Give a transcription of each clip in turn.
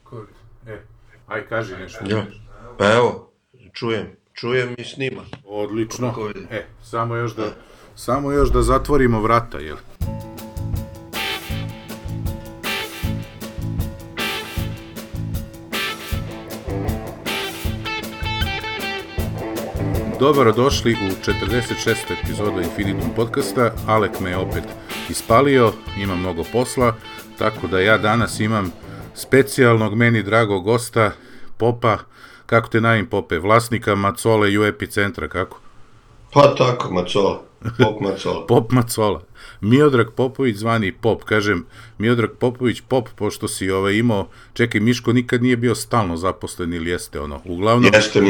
Discord. Aj kaži nešto. Ja. Pa evo, čujem i snima. Odlično. Samo još da zatvorimo vrata, jel? Dobrodošli u 46. epizodu Infinitum podcasta. Alek me je opet ispalio, ima mnogo posla, tako da ja danas imam specijalnog, meni dragog gosta, Popa. Kako te najim, Pope? Vlasnika Macole i Epicentra, kako? Pa tako, Macola. Pop Macola. Pop Macola. Miodrag Popović zvani Pop. Kažem, Miodrag Popović Pop, pošto si imao... Čekaj, Miško nikad nije bio stalno zaposlen ili jeste ono? Uglavnom... Jeste,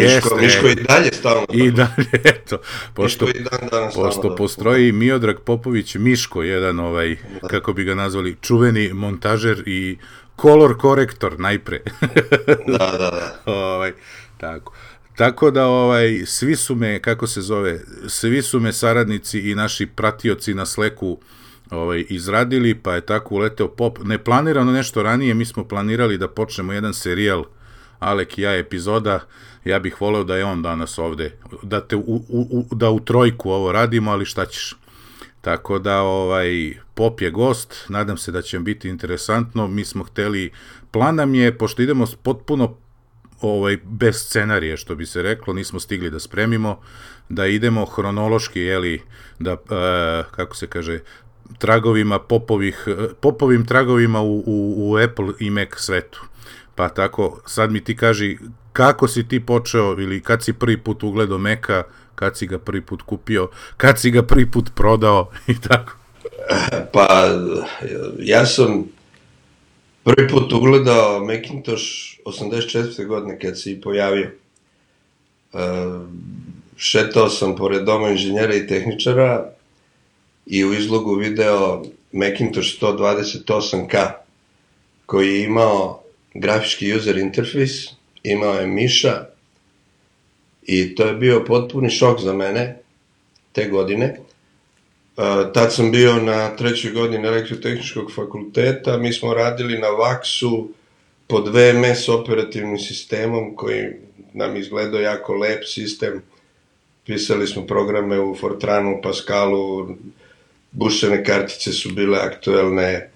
Miško i dalje stalno. I dalje, eto. Pošto postroji Miodrag Popović Miško, jedan kako bi ga nazvali, čuveni montažer i kolor korektor najpre. Da. Tako. Tako da svi su me, svi su me saradnici i naši pratioci na Slacku izradili, pa je tako uleteo Pop. Neplanirano nešto ranije, mi smo planirali da počnemo jedan serijal, Alek i ja epizoda, ja bih voleo da je on danas ovde, da u trojku ovo radimo, ali šta ćeš. Tako da Pop je gost, nadam se da će vam biti interesantno, mi smo hteli, plan nam je, pošto idemo potpuno bez scenarije, što bi se reklo, nismo stigli da spremimo, da idemo hronološki, da, kako se kaže, tragovima popovim tragovima u Apple i Mac svetu. Pa tako, sad mi ti kaži, kako si ti počeo, ili kad si prvi put ugledao Maca, kad si ga prvi put kupio, kad si ga prvi put prodao, i tako. Pa, ja sam prvi put ugledao Macintosh 84. godine kad se i pojavio. Šetao sam pored doma inženjera i tehničara i u izlogu video Macintosh 128K koji je imao grafički user interface, imao je miša i to je bio potpuni šok za mene te godine. Tad sam bio na 3. godini elektrotehničkog fakulteta, mi smo radili na Vaxu pod VMS operativnim sistemom koji nam izgledao jako lep sistem. Pisali smo programe u Fortranu, Pascalu, bušene kartice su bile aktuelne.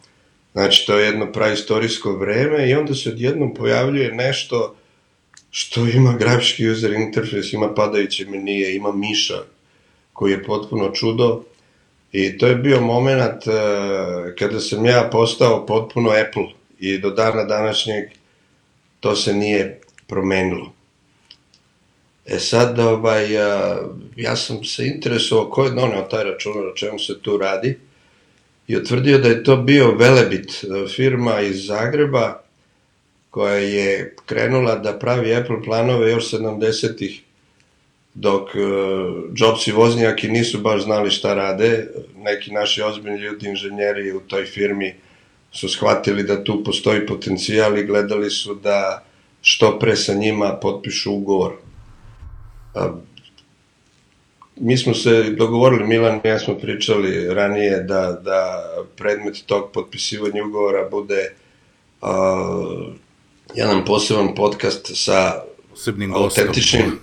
Znači, to je jedno praistorijsko vreme i onda se odjednom pojavljuje nešto što ima grafički user interface, ima padajuće menije, ima miša koji je potpuno čudo. I to je bio moment kada sam ja postao potpuno Apple i do dana današnjeg to se nije promenilo. Sad, ja sam se interesovao ko je doneo taj računar, o čemu se tu radi i utvrdio da je to bio Velebit, firma iz Zagreba koja je krenula da pravi Apple planove još 70-ih dok Jobs i Voznjaki nisu baš znali šta rade. Neki naši ozbiljni ljudi, inženjeri u toj firmi su shvatili da tu postoji potencijal i gledali su da što pre sa njima potpišu ugovor. Mi smo se dogovorili, Milan i ja smo pričali ranije da predmet tog potpisivanja ugovora bude jedan poseban podcast sa autentičnim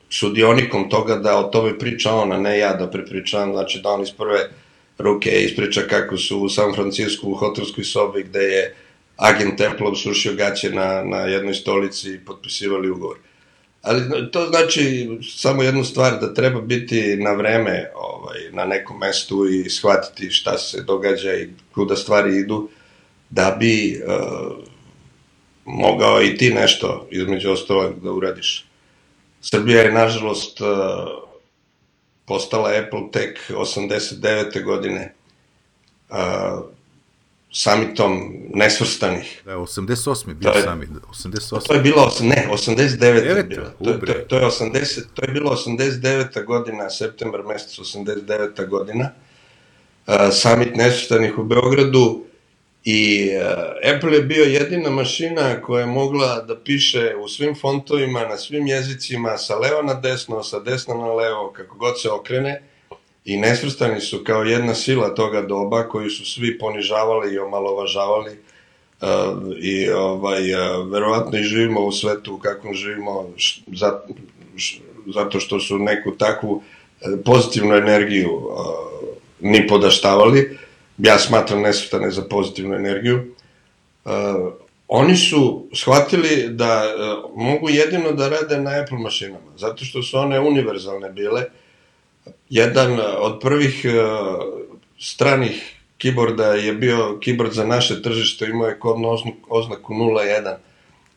sudionikom toga da o tome priča on, a ne ja da prepričavam, znači da on iz prve ruke ispriča kako su u San Francisku u hotelskoj sobi gde je agent Apple srušio gaće na jednoj stolici i potpisivali ugovor. Ali to znači samo jednu stvar, da treba biti na vreme na nekom mestu i shvatiti šta se događa i kuda stvari idu, da bi mogao i ti nešto između ostalog da uradiš. Srbija je nažalost postala Apple tek 89. godine summitom nesvrstanih. Da, 88. bio summit. 88. To je bilo, 89. je bilo. To je bilo 89. godina, septembar mesec 89. godina. Summit nesvrstanih u Beogradu. I Apple je bio jedina mašina koja je mogla da piše u svim fontovima, na svim jezicima, sa leva na desno, sa desna na levo, kako god se okrene. I nesvrstani su kao jedna sila toga doba koju su svi ponižavali i omalovažavali. i verovatno i živimo u svetu u kakvom živimo zato što su neku takvu pozitivnu energiju ni podaštavali. Ja smatram nesvrstane za pozitivnu energiju. Oni su shvatili da mogu jedino da rade na Apple mašinama, zato što su one univerzalne bile. Jedan od prvih stranih keyboarda je bio keyboard za naše tržište, imao je kodnu oznaku 01.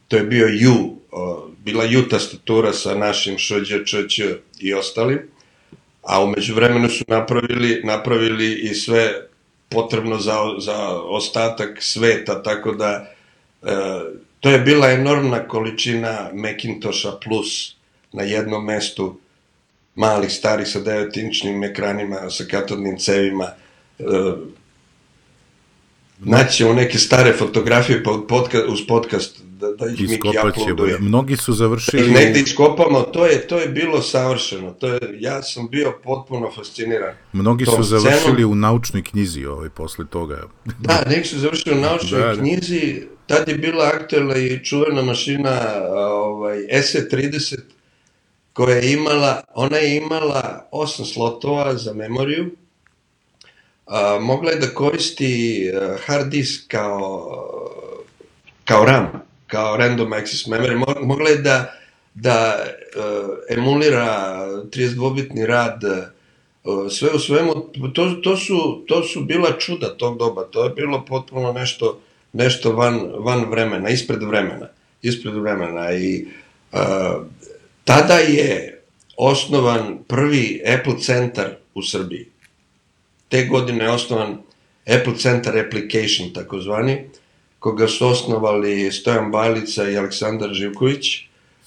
To je bio U, bila U tastatura sa našim Šđ, ČČ i ostalim, a umeđu vremenu su napravili i sve potrebno za ostatak sveta, tako da to je bila enormna količina Macintosha Plus na jednom mestu, malih, starih sa 9-inčnim ekranima, sa katodnim cevima. Naćemo neke stare fotografije uz podcast da ih Miki uploaduje. Mnogi su završili... Da ih negde iskopamo, to je bilo savršeno. Ja sam bio potpuno fasciniran. Mnogi su završili u naučnoj knjizi posle toga. Da, neki su završili u naučnoj knjizi. Tad je bila aktuelna i čuvena mašina SE30, koja je imala, ona je imala 8 slotova za memoriju. Mogla je da koristi hard disk kao RAM, kao random access memory. Mogla je da emulira 32-bitni rad. Sve u svemu, to su bila čuda tog doba. To je bilo potpuno nešto van vremena, ispred vremena. I tada je osnovan prvi Apple centar u Srbiji. Te godine je osnovan Apple Center Application, takozvani, koga su osnovali Stojan Bajlica i Aleksandar Živković.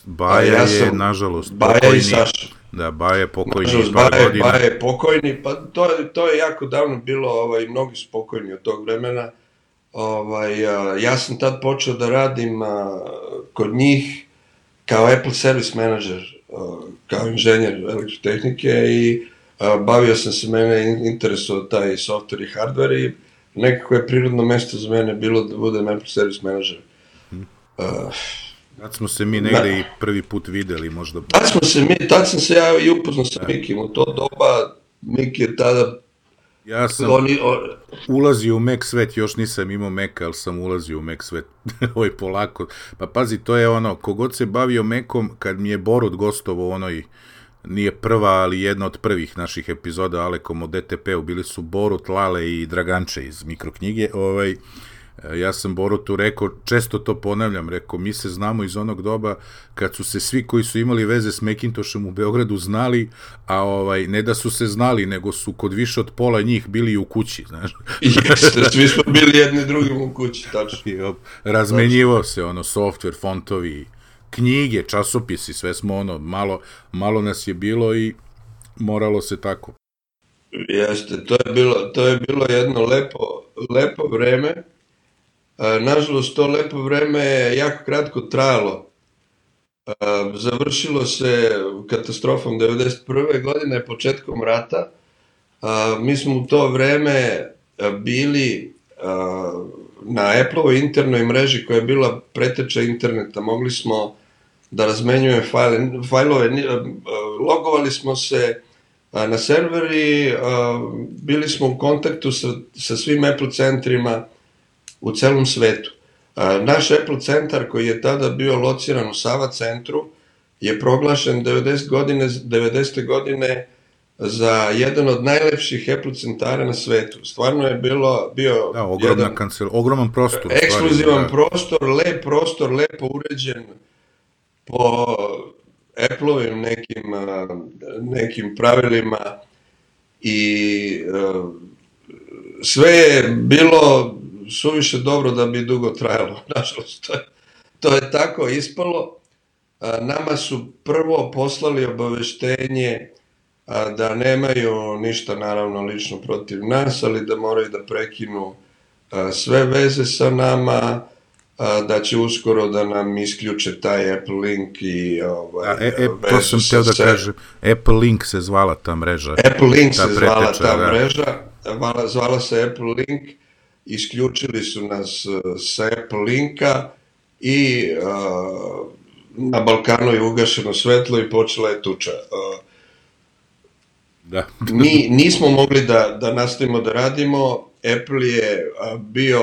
Baja je, nažalost, pokojni. Baja i Saša. Da, Baja je pokojni. Nažalost, Baja je pokojni, pa to je jako davno bilo, mnogi su pokojni od tog vremena. Ja sam tad počeo da radim kod njih kao Apple Service Manager, kao inženjer elektrotehnike i bavio sam se, mene interesuo taj software i hardware i nekako je prirodno mesto za mene bilo da budem Apple Service Manager. Tad smo se mi negde i prvi put videli možda. Tad sam se ja i upoznao sa Mikim, u to doba Miki je tada... Ja sam ulazio u Mac svet, još nisam imao Maca, ali sam ulazio u Mac svet, polako. Pa pazi, to je ono, kogod se bavio Macom, kad mi je Borut gostovao nije prva, ali jedna od prvih naših epizoda Alekom o DTP-u, bili su Borut, Lale i Draganče iz Mikroknjige, ja sam Borutu rekao, često to ponavljam, rekao, mi se znamo iz onog doba kad su se svi koji su imali veze s Macintoshom u Beogradu znali, a ne da su se znali, nego su kod više od pola njih bili u kući, znaš. Jeste, svi smo bili jedni drugim u kući, tačno. Razmenjivao se, software, fontovi, knjige, časopisi, sve smo malo nas je bilo i moralo se tako. Jeste, to je bilo jedno lepo vreme. Nažalost, to lepo vreme je jako kratko trajalo. Završilo se katastrofom 1991. godine, početkom rata. Mi smo u to vreme bili na Apple-ovoj internoj mreži koja je bila preteča interneta. Mogli smo da razmenjujemo fajlove, logovali smo se na serveri, bili smo u kontaktu sa svim Apple centrima u celom svetu. Naš Apple centar, koji je tada bio lociran u Sava centru, je proglašen 90. godine za jedan od najlepših Apple centara na svetu. Stvarno je bio ogroman prostor. Ekskluzivan prostor, lepo uređen po Apple-ovim nekim pravilima i sve je bilo suviše dobro da bi dugo trajalo. Nažalost, to je tako ispalo. Nama su prvo poslali obaveštenje da nemaju ništa naravno lično protiv nas, ali da moraju da prekinu sve veze sa nama, da će uskoro da nam isključe taj Apple Link i to sam teo da kažem, Apple Link se zvala ta mreža. Apple Link se zvala ta mreža, zvala se Apple Link isključili su nas sa Apple linka i na Balkanu je ugašeno svetlo i počela je tuča. Da. Mi nismo mogli da nastavimo da radimo, Apple je bio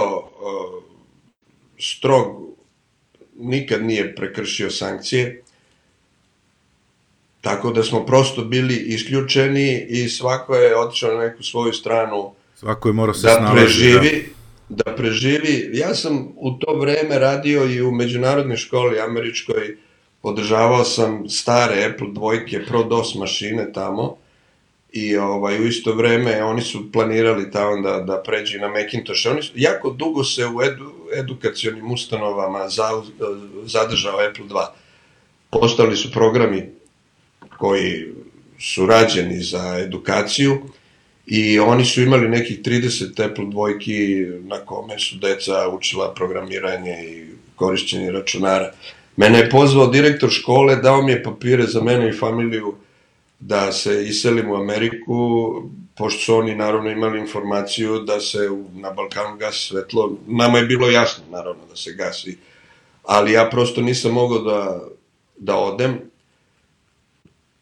strog, nikad nije prekršio sankcije, tako da smo prosto bili isključeni i svako je otišao na neku svoju stranu Svako je morao se snalaziti. Da preživi. Ja sam u to vreme radio i u međunarodnoj školi američkoj, održavao sam stare Apple dvojke, Pro DOS mašine tamo i u isto vreme oni su planirali tamo da pređi na Macintosh. Oni su jako dugo se u edukacionim ustanovama zadržao Apple II. Postali su programi koji su rađeni za edukaciju i oni su imali nekih 30 Apple dvojki na kome su deca učila programiranje i korišćenje računara. Mene je pozvao direktor škole, dao mi je papire za mene i familiju da se iselim u Ameriku, pošto su oni naravno imali informaciju da se na Balkanu gasi svetlo. Nama je bilo jasno naravno da se gasi, ali ja prosto nisam mogao da odem.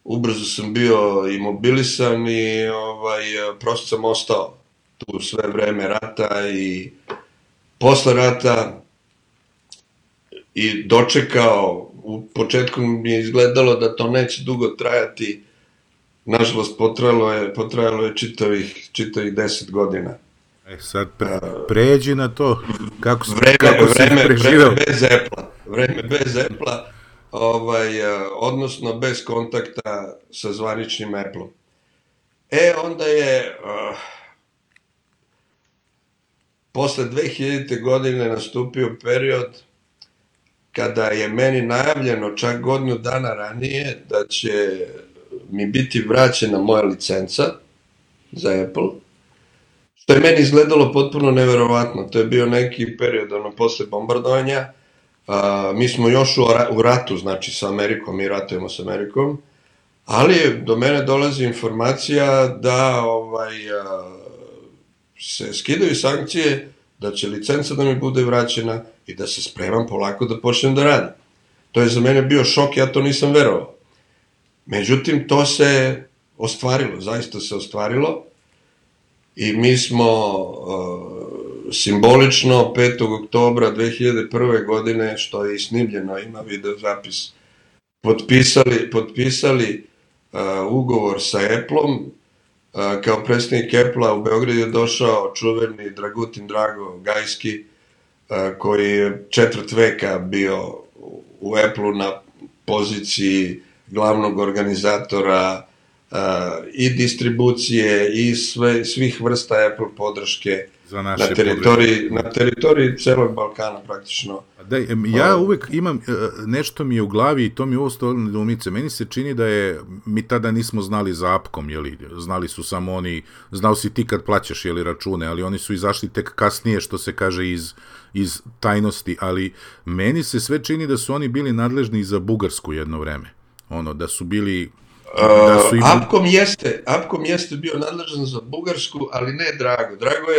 Ubrzo sam bio imobilisan i prosto sam ostao tu sve vreme rata i posle rata i dočekao. U početku mi je izgledalo da to neće dugo trajati. Nažalost, potrajalo je čitavih 10 godina. Sad pređi na to, kako si preživao. Vreme bez Apple-a, odnosno bez kontakta sa zvaničnim Apple-om. Onda je posle 2000. godine nastupio period kada je meni najavljeno čak godinu dana ranije da će mi biti vraćena moja licenca za Apple, što je meni izgledalo potpuno neverovatno. To je bio neki period posle bombardovanja. Mi smo još u ratu, znači sa Amerikom, mi ratujemo sa Amerikom, ali do mene dolazi informacija da se skidaju sankcije, da će licenca da mi bude vraćena i da se spremam polako da počnem da radim. To je za mene bio šok, ja to nisam verovao. Međutim, to se ostvarilo, zaista se ostvarilo i mi smo simbolično 5. oktobra 2001. godine, što je i snimljeno, ima video zapis, potpisali ugovor sa Apple-om. Kao predstavnik Apple-a u Beograd je došao čuveni Dragutin Drago Gajski, koji je četvrt veka bio u Apple-u na poziciji glavnog organizatora i distribucije i svih vrsta Apple podrške na teritoriji celog Balkana praktično. Ja uvek imam, nešto mi je u glavi i to mi je ovo stojilo nedoumice. Meni se čini da mi tada nismo znali za Apkom, znali su samo oni, znao si ti kad plaćaš račune, ali oni su izašli tek kasnije, što se kaže, iz tajnosti, ali meni se sve čini da su oni bili nadležni za Bugarsku jedno vreme. Da su bili... Apkom jeste bio nadležan za Bugarsku, ali ne Drago. Drago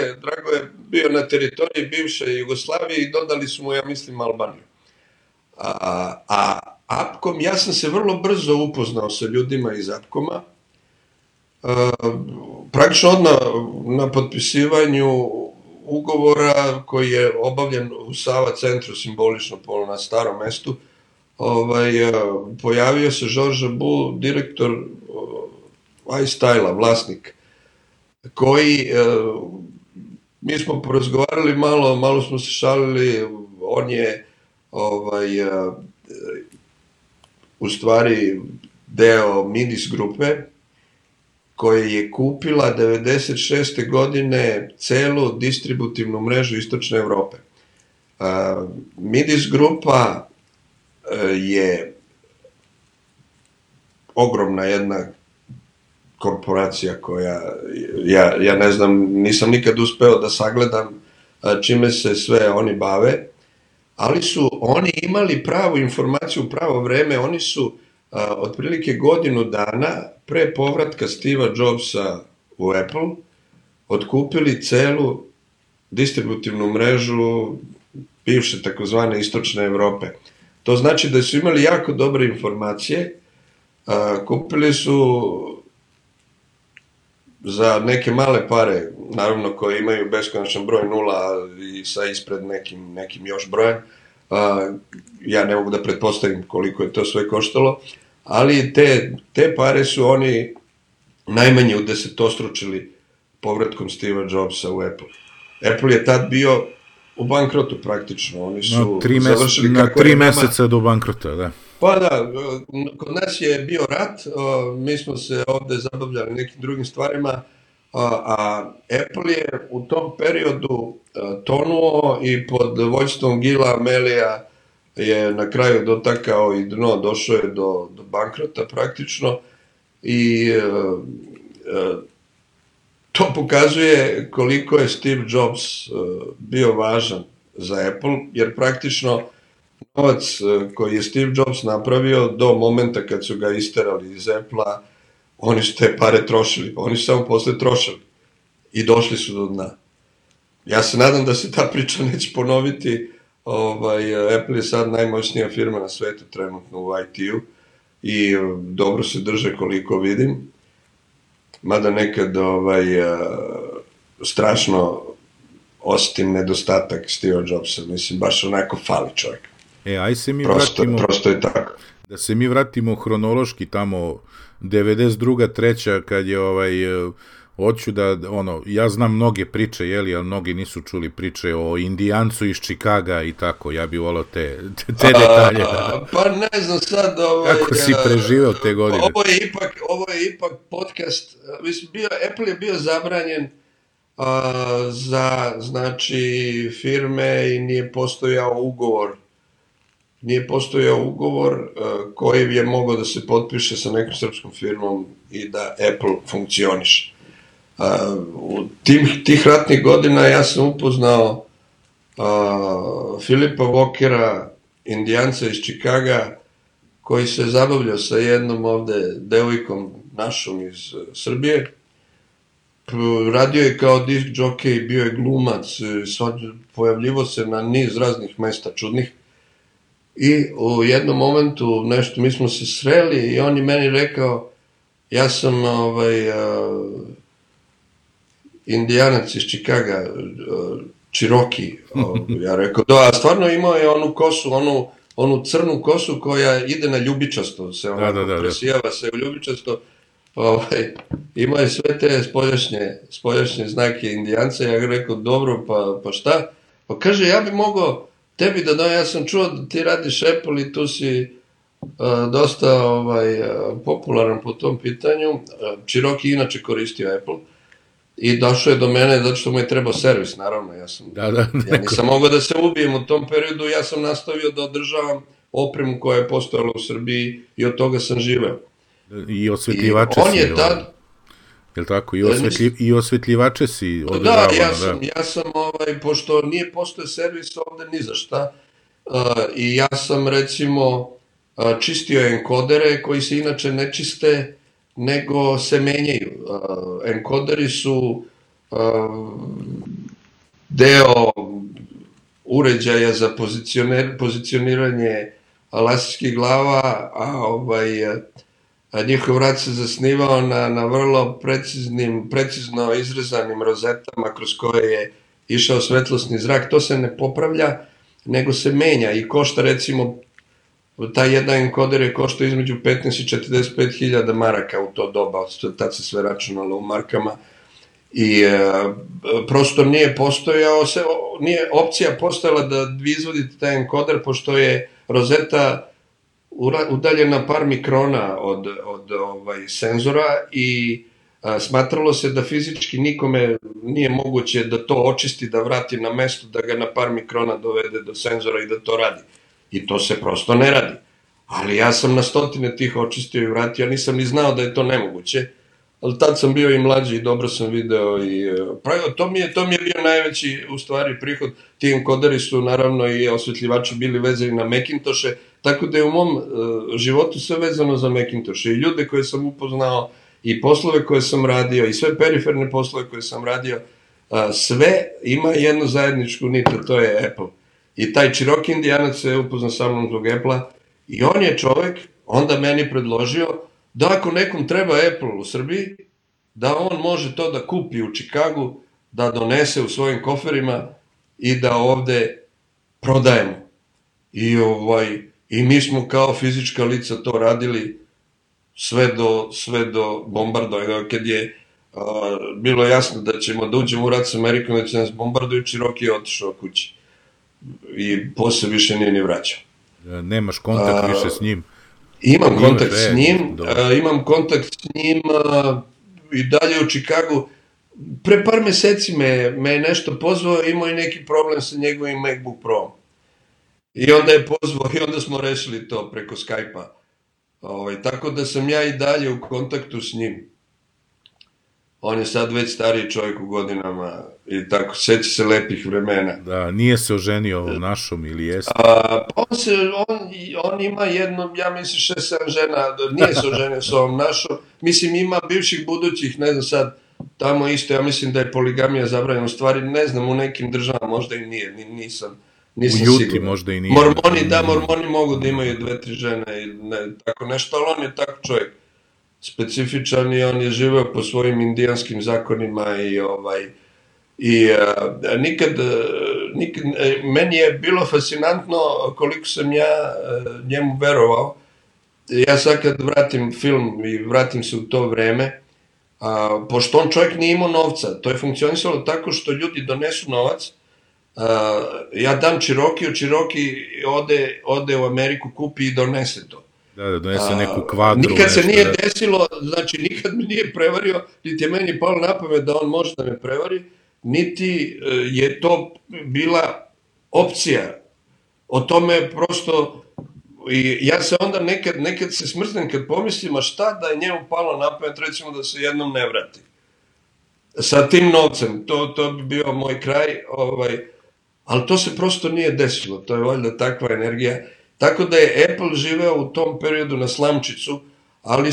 je bio na teritoriji bivše Jugoslavije i dodali su mu, ja mislim, Albaniju. A Apkom, ja sam se vrlo brzo upoznao sa ljudima iz Apkoma. Praktično odmah na potpisivanju ugovora koji je obavljen u Sava centru, simbolično na Starom mestu, pojavio se George Bull, direktor iStyle-a, vlasnik, koji, mi smo porazgovarali malo smo se šalili, on je u stvari deo Midis grupe, koja je kupila 96. godine celu distributivnu mrežu Istočne Evrope. Midis grupa je ogromna jedna korporacija koja, ja ne znam, nisam nikad uspeo da sagledam čime se sve oni bave, ali su oni imali pravu informaciju u pravo vreme. Oni su otprilike godinu dana pre povratka Steva Jobsa u Apple otkupili celu distributivnu mrežu bivše takozvane istočne Evrope. To znači da su imali jako dobre informacije, kupili su za neke male pare, naravno koje imaju beskonačan broj nula i sa ispred nekim još brojem, ja ne mogu da pretpostavim koliko je to sve koštalo, ali te pare su oni najmanje udesetostručili povratkom Steva Jobsa u Apple. Apple je tad bio u bankrotu praktično, oni su završili kako na 3 meseca do bankrota, da. Pa da, kod nas je bio rat, mi smo se ovde zabavljali nekim drugim stvarima, a Apple je u tom periodu tonuo i pod vođstvom Gila Amelija je na kraju dotakao i dno, došao je do bankrota praktično i to pokazuje koliko je Steve Jobs bio važan za Apple, jer praktično novac koji je Steve Jobs napravio do momenta kad su ga isterali iz Apple-a, oni su te pare trošili, oni su samo posle trošili i došli su do dna. Ja se nadam da se ta priča neće ponoviti, Apple je sad najmoćnija firma na svetu trenutno u IT-u i dobro se drže koliko vidim, mada nekad strašno osetim nedostatak Steve Jobsa, mislim baš onako fali čovjek. Aj se mi prosto je tako. Da se mi vratimo hronološki tamo 92. 3. kad je hoću da, ja znam mnoge priče, ali mnogi nisu čuli priče o Indijancu iz Čikaga i tako, ja bih volao te detalje. Pa ne znam sad, kako si preživeo te godine? Ovo je ipak podcast, mislim, Apple je bio zabranjen za, znači, firme i nije postojao ugovor koji je mogao da se potpiše sa nekom srpskom firmom i da Apple funkcioniše. U tih ratnih godina ja sam upoznao Filipa Walkera, Indijanca iz Čikaga, koji se zabavljao sa jednom ovde devojkom našom iz Srbije. Radio je kao disk jockey, bio je glumac, pojavljivo se na niz raznih mesta čudnih. I u jednom momentu nešto, mi smo se sreli i on je meni rekao, ja sam Indijanac iz Čikaga, Cherokee. Ja rekao, da, a stvarno imao je onu kosu, onu crnu kosu koja ide na ljubičasto, se presijava se u ljubičasto. Imao je sve te spoljašnje znake Indijanca. Ja rekao, dobro, pa šta? Pa kaže, ja bi mogao tebi da ja sam čuo da ti radiš Apple i tu si dosta popularan po tom pitanju. Cherokee inače koristio Apple i došao je do mene zato što mu je trebao servis, naravno. Ja nisam mogao da se ubijem u tom periodu, ja sam nastavio da održavam opremu koja je postojala u Srbiji i od toga sam živeo. I osvetljivače si, je li tako? I osvetljivače si održavao. Da, ja sam, pošto nije postoje servis ovde ni za šta, i ja sam, recimo, čistio enkodere koji se inače ne čiste, nego se menjaju. Enkoderi su deo uređaja za pozicioniranje laserskih glava, a njihov rad se zasnivao na vrlo precizno izrezanim rozetama kroz koje je išao svetlosni zrak. To se ne popravlja, nego se menja i košta, recimo, taj jedan enkoder je koštao između 15 i 45 hiljada maraka u to doba, tad se sve računalo u markama i prosto nije opcija postojala da vi izvodite taj enkoder, pošto je rozeta udaljena par mikrona od senzora i smatralo se da fizički nikome nije moguće da to očisti, da vrati na mesto, da ga na par mikrona dovede do senzora i da to radi. I to se prosto ne radi. Ali ja sam na stotine tih očistio i vratio, nisam ni znao da je to nemoguće, ali tad sam bio i mlađi i dobro sam video i to mi je bio najveći u stvari prihod. Ti enkoderi su naravno i osvetljivači bili vezani na Macintoshe, tako da je u mom životu sve vezano za Macintoshe i ljude koje sam upoznao i poslove koje sam radio i sve periferne poslove koje sam radio sve ima jednu zajedničku nit, to je Apple. I taj Cherokee Indijanac se upoznao sa mnom zbog Apple-a i on je čovek onda meni predložio da ako nekom treba Apple u Srbiji, da on može to da kupi u Čikagu, da donese u svojim koferima i da ovde prodajemo. I mi smo kao fizička lica to radili sve do bombardovanja, kad je bilo jasno da ćemo da uđemo u rat s Amerikom, da će nas bombarduju, Cherokee je otišao kući. I posle više nije ni vraćao. Nemaš kontakt više s njim? Imam kontakt s njim, imam kontakt s njim i dalje u Čikagu. Pre par meseci me je nešto pozvao, imao i neki problem sa njegovim MacBook Pro. I onda je pozvao i onda smo rešili to preko Skype-a. Tako da sam ja i dalje u kontaktu s njim. On je sad već stariji čovjek u godinama i tako, seća se lepih vremena. Da, nije se oženio našom ili jeste? On ima jedno, ja mislim 6-7 žena, nije se oženio sa ovom našom. Mislim, ima bivših budućih, ne znam sad, tamo isto, ja mislim da je poligamija zabranjena, u stvari, ne znam, u nekim državama možda i nije, nisam siguran. U Juti možda i nije. Mormoni mogu da imaju 2-3 žene i tako nešto, ali on je tako čovjek specifičan i on je živeo po svojim indijanskim zakonima i nikad, meni je bilo fascinantno koliko sam ja njemu verovao. Ja sad kad vratim film i vratim se u to vreme, pošto on čovjek nije imao novca, to je funkcionisalo tako što ljudi donesu novac, ja dam Cherokee, Cherokee ode u Ameriku, kupi i donese to. Da, donese neku kvadru. Nikad se nije desilo, znači nikad me nije prevario, niti je meni palo na pamet da on može da me prevari, niti je to bila opcija. O tome prosto, i ja se onda nekad se smrznem kad pomislim, a šta da je njemu palo na pamet, recimo da se jednom ne vrati. Sa tim novcem, to bi bio moj kraj, ali to se prosto nije desilo, to je valjda takva energija. Tako da je Apple živeo u tom periodu na slamčicu, ali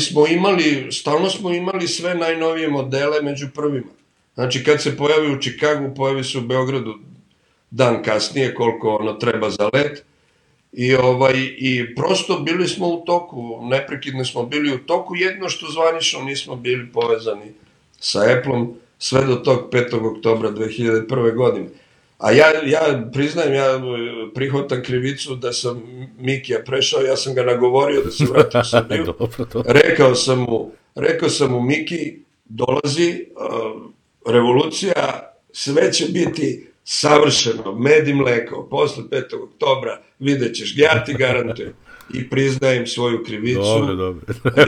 stalno smo imali sve najnovije modele među prvima. Znači kad se pojavi u Čikagu, pojavi se u Beogradu dan kasnije, koliko ono treba za let. I prosto bili smo u toku, neprekidno smo bili u toku, jedno što zvanično nismo bili povezani sa Appleom sve do tog 5. oktobra 2001. godine. A ja priznajem, ja prihvatam krivicu da sam Mikija prešao, ja sam ga nagovorio da se vrati u Srbiju. Rekao sam mu, Miki, dolazi revolucija, sve će biti savršeno, med i mleko, posle 5. oktobra vidjet ćeš, ja ti garantujem. I priznajem svoju krivicu. Dobro.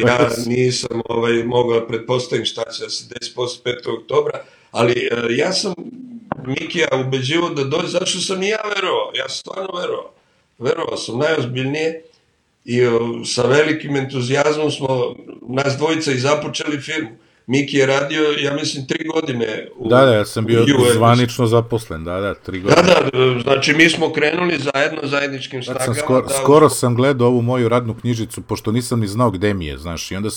Ja nisam mogao da pretpostavim šta će da se desi posle 5. oktobra, ali ja sam Mikija ubeđivo da dođe, zato što sam i ja verovao, ja sam stvarno verovao sam najozbiljnije i sa velikim entuzijazmom smo nas dvojica i započeli firmu. Miki je radio, ja mislim, 3 godine Da, ja sam bio zvanično zaposlen, 3 godine. Da, znači mi smo krenuli zajedničkim snagama. Skoro sam gledao ovu moju radnu knjižicu, pošto nisam ni znao gde mi je, znaš, i onda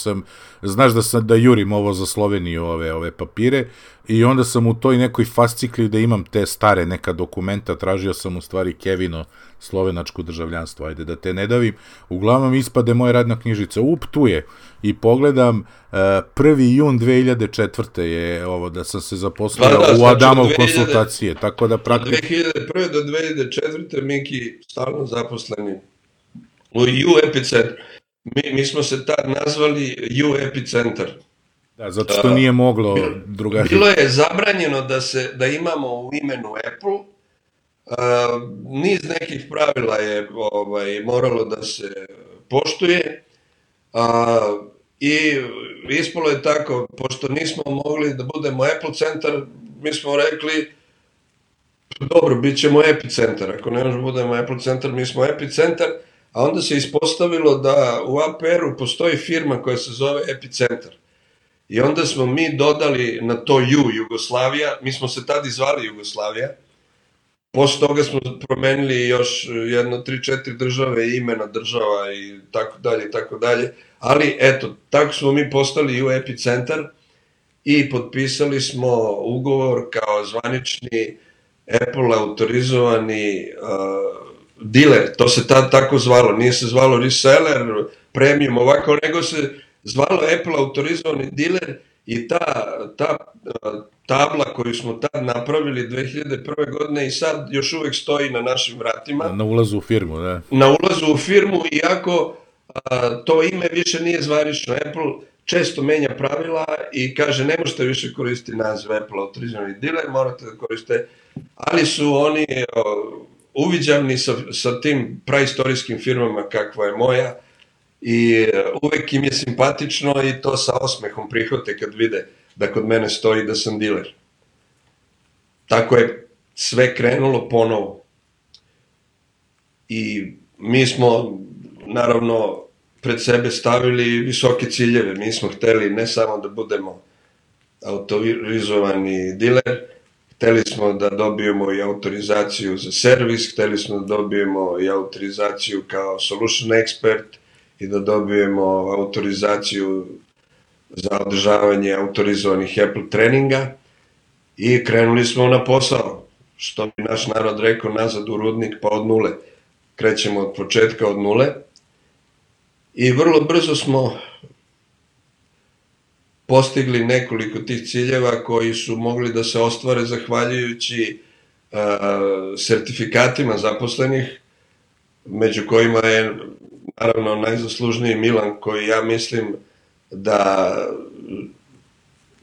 znaš da jurim ovo za Sloveniju, ove papire, i onda sam u toj nekoj fascikli da imam te stare neka dokumenta, tražio sam u stvari Kevino, slovenačko državljanstvo, ajde da te ne davim, uglavnom ispade moja radna knjižica, tu je, i pogledam, 1. jun 2004. je ovo, da sam se zaposlio u Adamov konsultacije, tako da praktično... 2001. do 2004. Miki stalno zaposleni u U Epicentru. Mi smo se tad nazvali U Epicentar. Da, zato što nije moglo drugačije. Bilo je zabranjeno da imamo u imenu Apple, niz nekih pravila je moralo da se poštuje, i ispalo je tako, pošto nismo mogli da budemo Apple centar, mi smo rekli, dobro, bit ćemo Epicentar, ako ne možemo budemo Apple centar, mi smo Epicentar, a onda se ispostavilo da u APR-u postoji firma koja se zove Epicentar. I onda smo mi dodali na to Jugoslavija, mi smo se tad zvali Jugoslavija, posle toga smo promenili još jedno 3-4 države, imena država i tako dalje, ali eto, tako smo mi postali U Epicentar i potpisali smo ugovor kao zvanični Apple autorizovani diler, to se tad tako zvalo, nije se zvalo reseller, premium, ovako, nego se zvalo Apple autorizovani diler i ta tabla koju smo tad napravili 2001. godine i sad još uvek stoji na našim vratima. Na ulazu u firmu, da. Na ulazu u firmu, iako to ime više nije zvanično. Apple često menja pravila i kaže ne možete više koristiti naziv Apple autorizovani diler, morate da koriste, ali su oni uviđavni sa tim praistorijskim firmama kakva je moja i uvek im je simpatično i to sa osmehom prihvate kad vide da kod mene stoji da sam diler. Tako je sve krenulo ponovo. I mi smo, naravno, pred sebe stavili visoke ciljeve. Mi smo hteli ne samo da budemo autorizovani diler, hteli smo da dobijemo i autorizaciju za servis, hteli smo da dobijemo i autorizaciju kao solution expert i da dobijemo autorizaciju za održavanje autorizovanih Apple treninga i krenuli smo na posao. Što bi naš narod rekao, nazad u rudnik pa od nule. Krećemo od početka, od nule. I vrlo brzo smo postigli nekoliko tih ciljeva koji su mogli da se ostvare zahvaljujući sertifikatima zaposlenih, među kojima je naravno najzaslužniji Milan, koji ja mislim da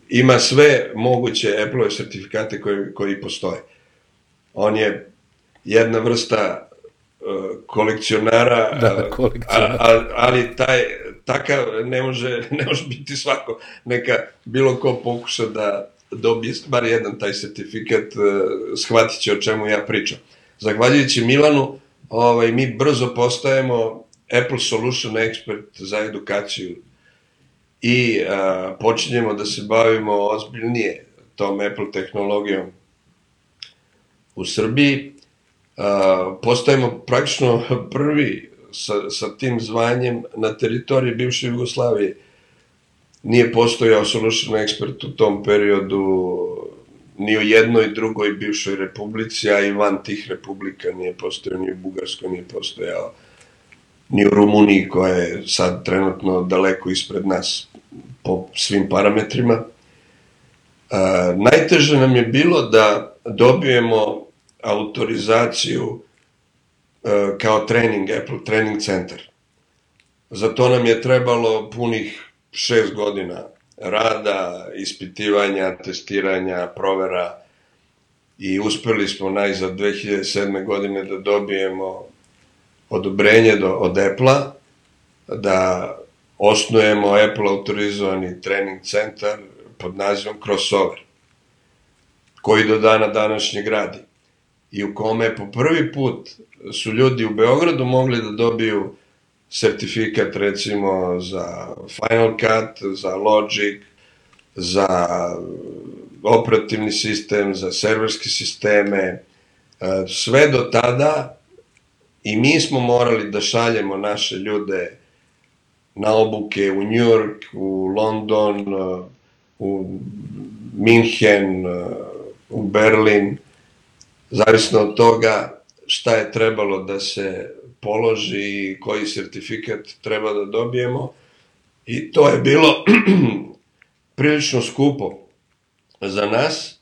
ima sve moguće Apple-ove sertifikate koji postoje. On je jedna vrsta kolekcionara, ali takav ne može biti svako. Neka bilo ko pokuša da dobije bar jedan taj sertifikat, shvatit će o čemu ja pričam. Zahvaljujući Milanu, mi brzo postajemo Apple Solution Expert za edukaciju i počinjemo da se bavimo ozbiljnije tom Apple tehnologijom u Srbiji. Postajemo praktično prvi sa tim zvanjem na teritoriji bivše Jugoslavije. Nije postojao Solution Expert u tom periodu ni u jednoj drugoj bivšoj republici, a i van tih republika nije postojao, ni u Bugarskoj nije postojao, ni u Rumuniji koja je sad trenutno daleko ispred nas po svim parametrima. Najteže nam je bilo da dobijemo autorizaciju kao trening, Apple Training Center. Za to nam je trebalo punih 6 godina rada, ispitivanja, testiranja, provera i uspeli smo najzad 2007. godine da dobijemo odobrenje od Apple-a da osnujemo Apple autorizovani trening centar pod nazivom Crossover, koji do dana današnjeg radi i u kome po prvi put su ljudi u Beogradu mogli da dobiju sertifikat recimo za Final Cut, za Logic, za operativni sistem, za serverske sisteme, sve do tada i mi smo morali da šaljemo naše ljude na obuke u New York, u London, u Minhen, u Berlin, zavisno od toga šta je trebalo da se položi i koji sertifikat treba da dobijemo. I to je bilo prilično skupo za nas,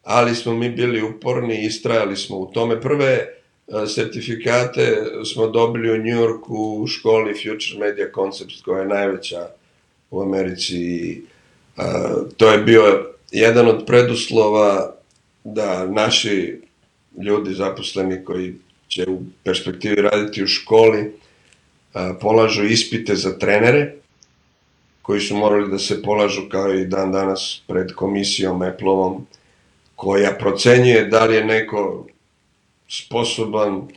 ali smo mi bili uporni i istrajali smo u tome. Prve sertifikate smo dobili u New Yorku u školi Future Media Concepts, koja je najveća u Americi. To je bio jedan od preduslova da naši ljudi zaposleni koji će u perspektivi raditi u školi polažu ispite za trenere, koji su morali da se polažu kao i dan danas pred komisijom Apple-ovom, koja procenjuje da li je neko sposoban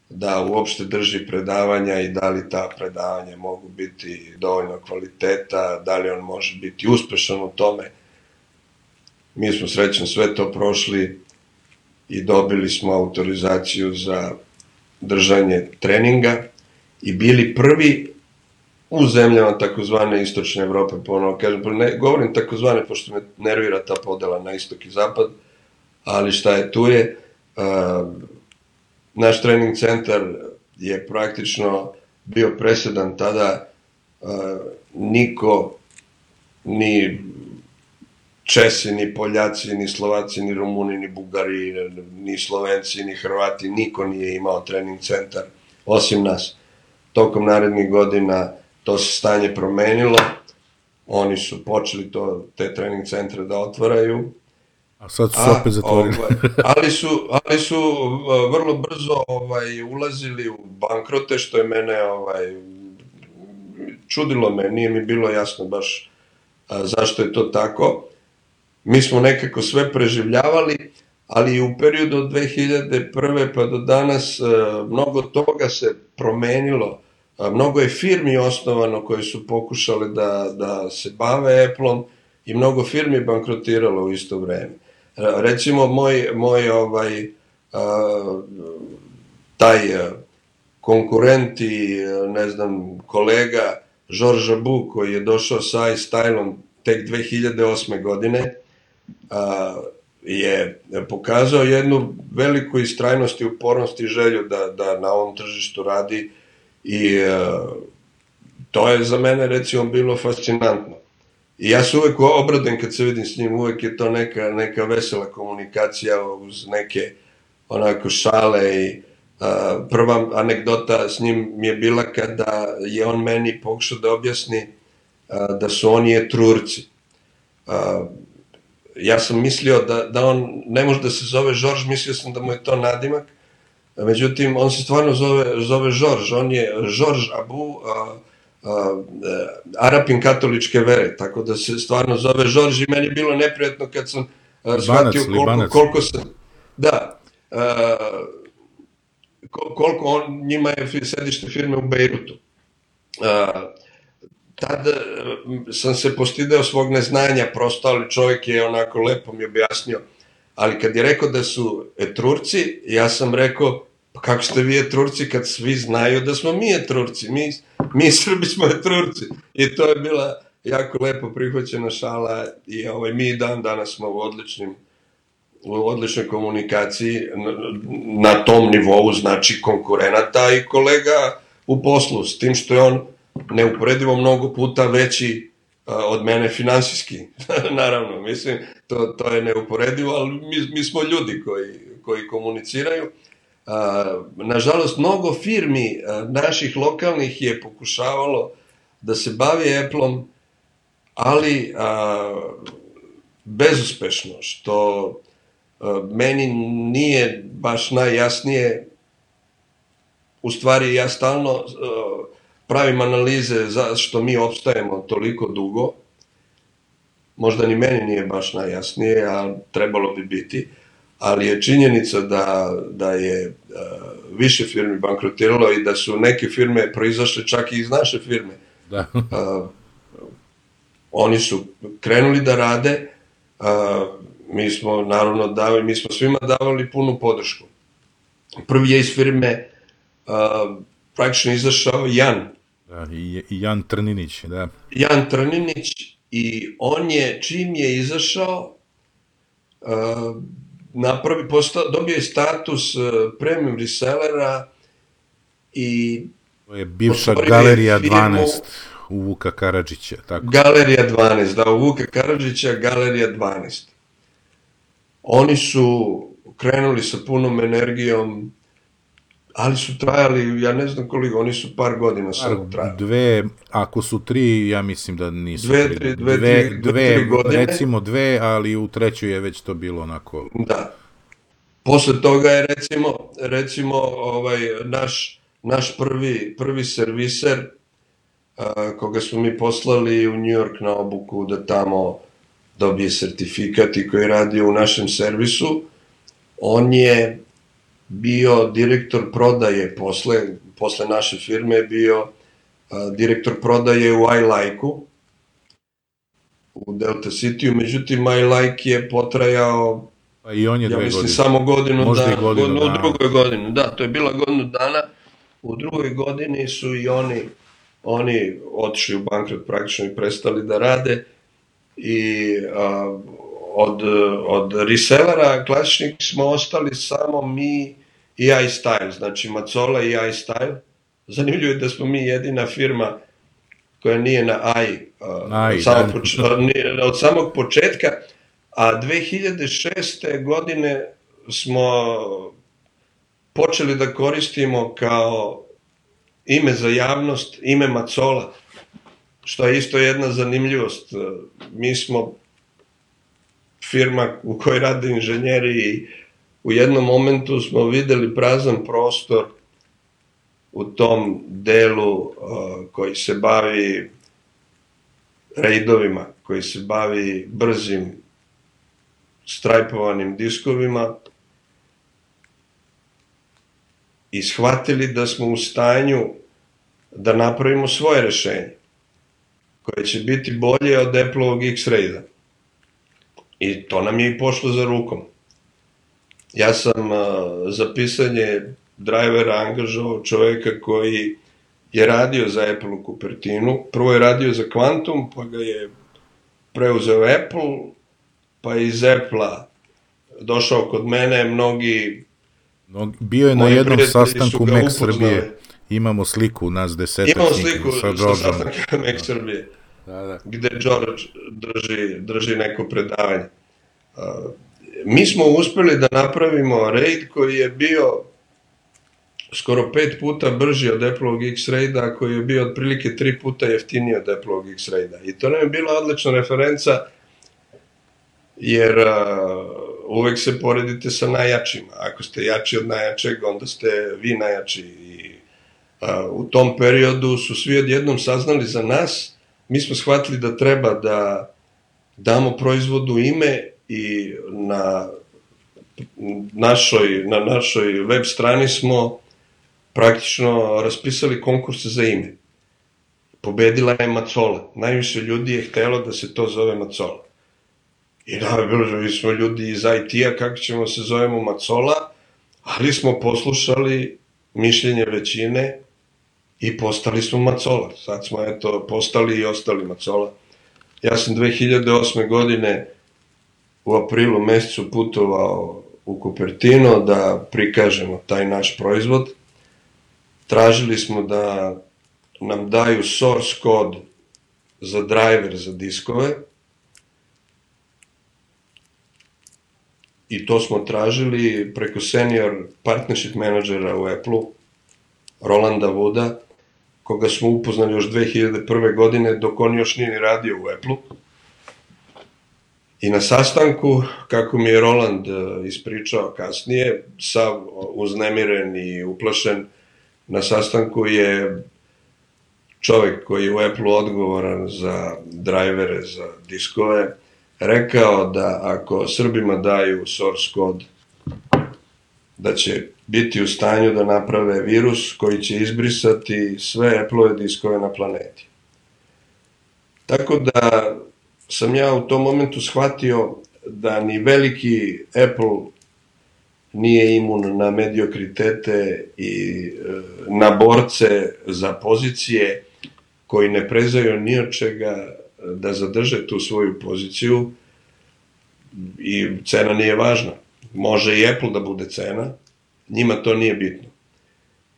da uopšte drži predavanja i da li ta predavanja mogu biti dovoljno kvaliteta, da li on može biti uspešan u tome. Mi smo srećno sve to prošli i dobili smo autorizaciju za držanje treninga i bili prvi u zemljama takozvane istočne Evrope, ponovo kažem, ne govorim takozvane, pošto me nervira ta podela na istok i zapad, ali šta je, tu je. Naš trening centar je praktično bio presedan tada, niko, ni Česi, ni Poljaci, ni Slovaci, ni Rumuni, ni Bugari, ni Slovenci, ni Hrvati, niko nije imao trening centar, osim nas. Tokom narednih godina to se stanje promenilo, oni su počeli te trening centre da otvaraju. A sad su se opet zatvorili. ali su vrlo brzo ulazili u bankrote, što je mene čudilo me, nije mi bilo jasno baš zašto je to tako. Mi smo nekako sve preživljavali, ali u periodu od 2001. pa do danas mnogo toga se promenilo. Mnogo je firmi osnovano koje su pokušale da se bave Apple-om i mnogo firmi bankrotiralo u isto vreme. Recimo, moj taj konkurent i, ne znam, kolega Georges Abou, koji je došao sa iStylom tek 2008. godine, je pokazao jednu veliku istrajnost i upornost i želju da na ovom tržištu radi i to je za mene, recimo, bilo fascinantno. I ja se uvek obradujem kad se vidim s njim, uvek je to neka vesela komunikacija uz neke onako šale i prva anegdota s njim mi je bila kada je on meni pokušao da objasni da su oni Etrurci. Ja sam mislio da on ne može da se zove Georges, mislio sam da mu je to nadimak, međutim on se stvarno zove Georges, on je Georges Abou, Arapin katoličke vere, tako da se stvarno zove Georges i meni je bilo neprijatno kad sam shvatio koliko se... Da, koliko njima je sedište firme u Bejrutu. Tada sam se postideo svog neznanja prosto, ali čovjek je onako lepo mi objasnio. Ali kad je rekao da su Etrurci, ja sam rekao, pa kako ste vi Etrurci kad svi znaju da smo mi Etrurci, mi Srbi smo Etrurci. I to je bila jako lepo prihvaćena šala i mi danas smo u odličnoj komunikaciji na tom nivou, znači konkurenata i kolega u poslu, s tim što je on neuporedivo mnogo puta veći od mene finansijski, naravno, mislim, to je neuporedivo, ali mi smo ljudi koji komuniciraju. Nažalost, mnogo firmi naših lokalnih je pokušavalo da se bavi Apple-om, ali bezuspešno, što meni nije baš najjasnije. U stvari, ja stalno pravim analize zašto mi opstajemo toliko dugo. Možda ni meni nije baš najjasnije, a trebalo bi biti. Ali je činjenica da je više firmi bankrotiralo i da su neke firme proizašle čak i iz naše firme. Da. Oni su krenuli da rade, mi smo naravno mi smo svima davali punu podršku. Prvi je iz firme praktično izašao Jan. Da, i Jan Trninić, da. Jan Trninić, i on je, čim je izašao, dobio je status premium resellera i... To je bivša Galerija 12 u Vuka Karadžića, tako? Galerija 12, da, u Vuka Karadžića, Galerija 12. Oni su krenuli sa punom energijom, ali su trajali, ja ne znam koliko, oni su par godina samo trajali. Ako su 3, ja mislim da nisu 3 godine. Recimo 2, ali u trećoj je već to bilo onako... Da. Posle toga je recimo naš prvi serviser, koga smo mi poslali u New York na obuku da tamo dobije sertifikat i koji radi u našem servisu, on je bio direktor prodaje posle naše firme, je bio direktor prodaje u iLike-u, u Delta City-u, međutim iLike je potrajao, pa i on je 2 godine. Ja mislim samo godinu dana. U drugoj godini, da, to je bila godinu dana. U drugoj godini su i oni oni otišli u bankrot praktično i prestali da rade i od resellera klasičnih smo ostali samo mi i iStyle, znači Macola i iStyle. Zanimljivo je da smo mi jedina firma koja nije na od samog početka, a 2006. godine smo počeli da koristimo kao ime za javnost, ime Macola, što je isto jedna zanimljivost. Mi smo firma u kojoj rade inženjeri i u jednom momentu smo videli prazan prostor u tom delu koji se bavi rejdovima, koji se bavi brzim strajpovanim diskovima i shvatili da smo u stanju da napravimo svoje rešenje koje će biti bolje od Apple-ovog X-Raida. I to nam je i pošlo za rukom. Ja sam za pisanje drivera angažovao čoveka koji je radio za Apple u Cupertinu. Prvo je radio za Quantum, pa ga je preuzeo Apple, pa je iz Apple-a došao kod mene. Bio je na jednom sastanku Mac Srbije. Imamo sliku nas desetak. Imamo sliku sa sastanka Mac Srbije, gde George drži neko predavanje. Mi smo uspeli da napravimo raid koji je bio skoro 5 puta brži od Apple-ovog X-Raida, koji je bio otprilike 3 puta jeftiniji od Apple-ovog X-Raida. I to nam je bila odlična referenca, jer uvek se poredite sa najjačima. Ako ste jači od najjačeg, onda ste vi najjači. I u tom periodu su svi odjednom saznali za nas. Mi smo shvatili da treba da damo proizvodu ime i na našoj web strani smo praktično raspisali konkurse za ime. Pobedila je Macola. Najviše ljudi je htelo da se to zove Macola. I mi smo ljudi iz IT-a, kako ćemo se zovemo Macola, ali smo poslušali mišljenje većine i postali smo Macola. Sad smo postali i ostali Macola. Ja sam 2008. godine u aprilu mesecu putovao u Cupertino da prikažemo taj naš proizvod. Tražili smo da nam daju source kod za driver za diskove i to smo tražili preko senior partnership menadžera u Apple-u, Rolanda Wooda, koga smo upoznali još 2001. godine dok on još nije radio u Apple-u. I na sastanku, kako mi je Roland ispričao kasnije, sav uznemiren i uplašen, na sastanku je čovek koji je u Apple-u odgovoran za drivere, za diskove, rekao da ako Srbima daju source kod, da će biti u stanju da naprave virus koji će izbrisati sve Apple-ove diskove na planeti. Tako da sam ja u tom momentu shvatio da ni veliki Apple nije imun na mediokritete i na borce za pozicije koji ne prezaju ni od čega da zadrže tu svoju poziciju i cena nije važna. Može i Apple da bude cena, njima to nije bitno.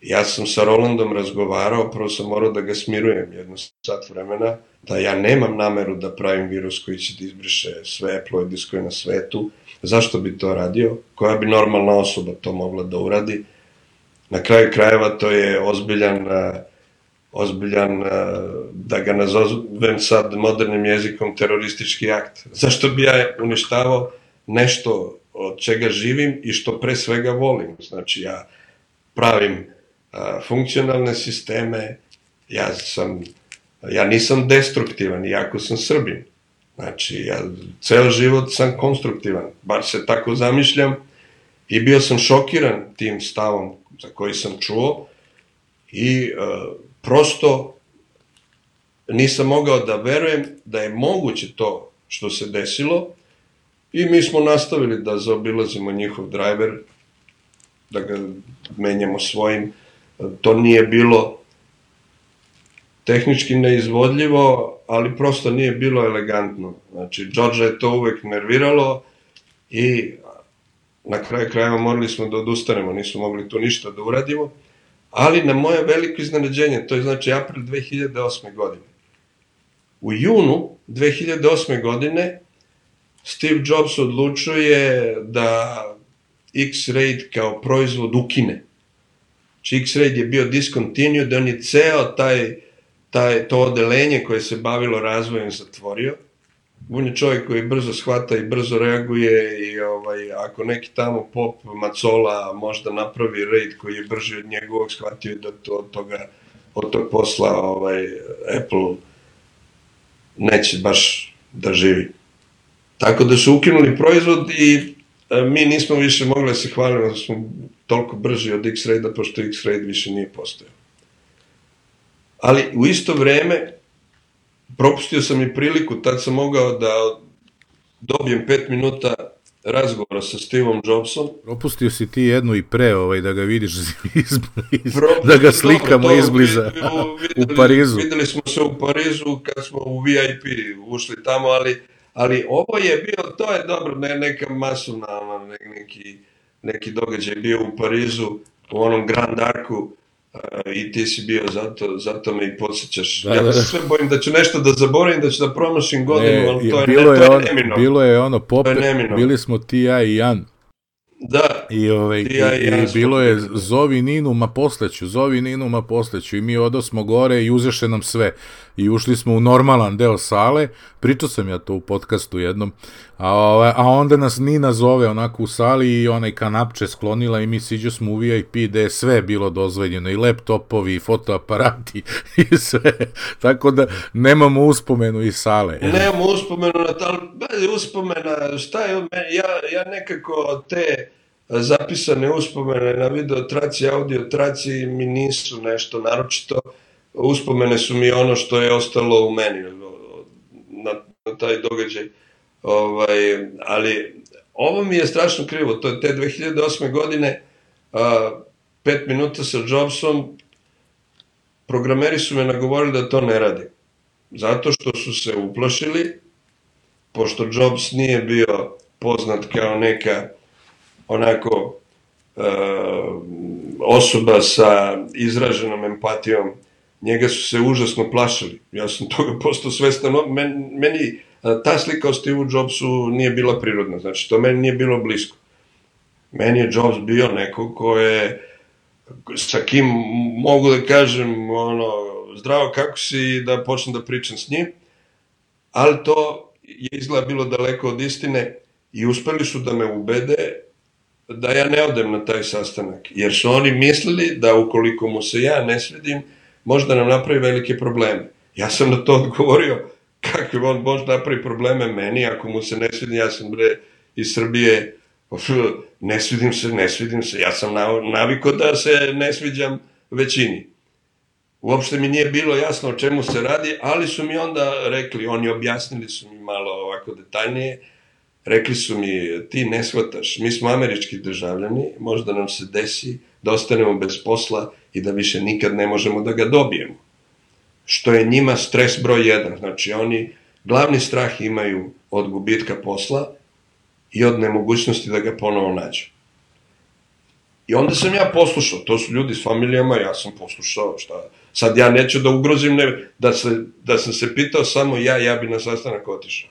Ja sam sa Rolandom razgovarao, prvo sam morao da ga smirujem jedno sat vremena, da ja nemam nameru da pravim virus koji će da izbriše sve Apple-ove diskove na svetu. Zašto bi to radio? Koja bi normalna osoba to mogla da uradi? Na kraju krajeva to je ozbiljan, da ga nazovem sad modernim jezikom, teroristički akt. Zašto bi ja uništavao nešto od čega živim i što pre svega volim? Znači, ja pravim funkcionalne sisteme, ja nisam destruktivan, iako sam Srbin. Znači, ja ceo život sam konstruktivan, bar se tako zamišljam, i bio sam šokiran tim stavom za koji sam čuo i prosto nisam mogao da verujem da je moguće to što se desilo i mi smo nastavili da zaobilazimo njihov driver, da ga menjamo svojim. To nije bilo tehnički neizvodljivo, ali prosto nije bilo elegantno. Znači, Georgea je to uvek nerviralo i na kraju krajeva morali smo da odustanemo, nismo mogli tu ništa da uradimo, ali na moje veliko iznenađenje, to je znači april 2008. godine. U junu 2008. godine Steve Jobs odlučuje da X-Ray kao proizvod ukine. Znači X-Ray je bio discontinued, da on je ceo to odelenje koje se bavilo razvojem zatvorio. On je čovjek koji brzo shvata i brzo reaguje i ako neki tamo pop macola možda napravi raid koji je brži od njegovog, shvatio je da od tog posla Apple neće baš da živi. Tako da su ukinuli proizvod i mi nismo više mogli da se hvalimo da smo toliko brži od X-Ray-a, pošto X-Ray više nije postojao. Ali u isto vreme propustio sam i priliku, tad sam mogao da dobijem 5 minuta razgovora sa Steveom Jobsom. Propustio si ti jednu i pre, da ga vidiš da ga slikamo izbliza u Parizu. Videli smo se u Parizu kad smo u VIP ušli tamo, ali ovo je bio, to je dobro, neka masovna, neki događaj bio u Parizu, u onom Grand Arcu, i ti si bio, zato me i podsjećaš. Ja se sve bojim da ću nešto da zaboravim, da ću da promašim godinu, ali to je neminovno. Bilo je bili smo ti, ja i Jan. Da. I bilo je zovi Ninu, ma posleću. I mi odosmo gore i uzeše nam sve. I ušli smo u normalan deo sale. Pričao sam ja to u podcastu jednom. A onda nas Nina zove onako u sali i onaj kanapče sklonila i mi siđo smo u VIP gde je sve bilo dozvoljeno. I laptopovi, i fotoaparati i sve. Tako da nemamo uspomenu iz sale. Nemamo uspomenu, uspomena, šta je od mene? Ja nekako te zapisane uspomene na videotraci, audiotraci mi nisu nešto naročito. Uspomene su mi ono što je ostalo u meni na taj događaj. Ali ovo mi je strašno krivo. To je te 2008. godine, 5 minuta sa Jobsom, programeri su me nagovorili da to ne radim. Zato što su se uplašili, pošto Jobs nije bio poznat kao neka onako osoba sa izraženom empatijom, njega su se užasno plašili. Ja sam toga postao svestan. Meni ta slika o Steve Jobsu nije bila prirodna, znači to meni nije bilo blisko. Meni je Jobs bio neko ko je, sa kim mogu da kažem, zdravo kako si, da počnem da pričam s njim, ali to je izgleda bilo daleko od istine i uspeli su da me ubede da ja ne odem na taj sastanak, jer su oni mislili da ukoliko mu se ja ne svidim, možda nam napravi velike probleme. Ja sam na to odgovorio, kako on može napravi probleme meni, ako mu se ne svidim, ja sam iz Srbije, ne svidim se, ja sam naviko da se ne sviđam većini. Uopšte mi nije bilo jasno o čemu se radi, ali su mi onda rekli, oni objasnili su mi malo ovako detaljnije, rekli su mi, ti ne shvataš, mi smo američki državljani, možda nam se desi da ostanemo bez posla i da više nikad ne možemo da ga dobijemo. Što je njima stres broj 1. Znači, oni glavni strah imaju od gubitka posla i od nemogućnosti da ga ponovo nađu. I onda sam ja poslušao, to su ljudi s familijama, ja sam poslušao, šta, sad ja neću da ugrozim, da sam se pitao samo ja bi na sastanak otišao.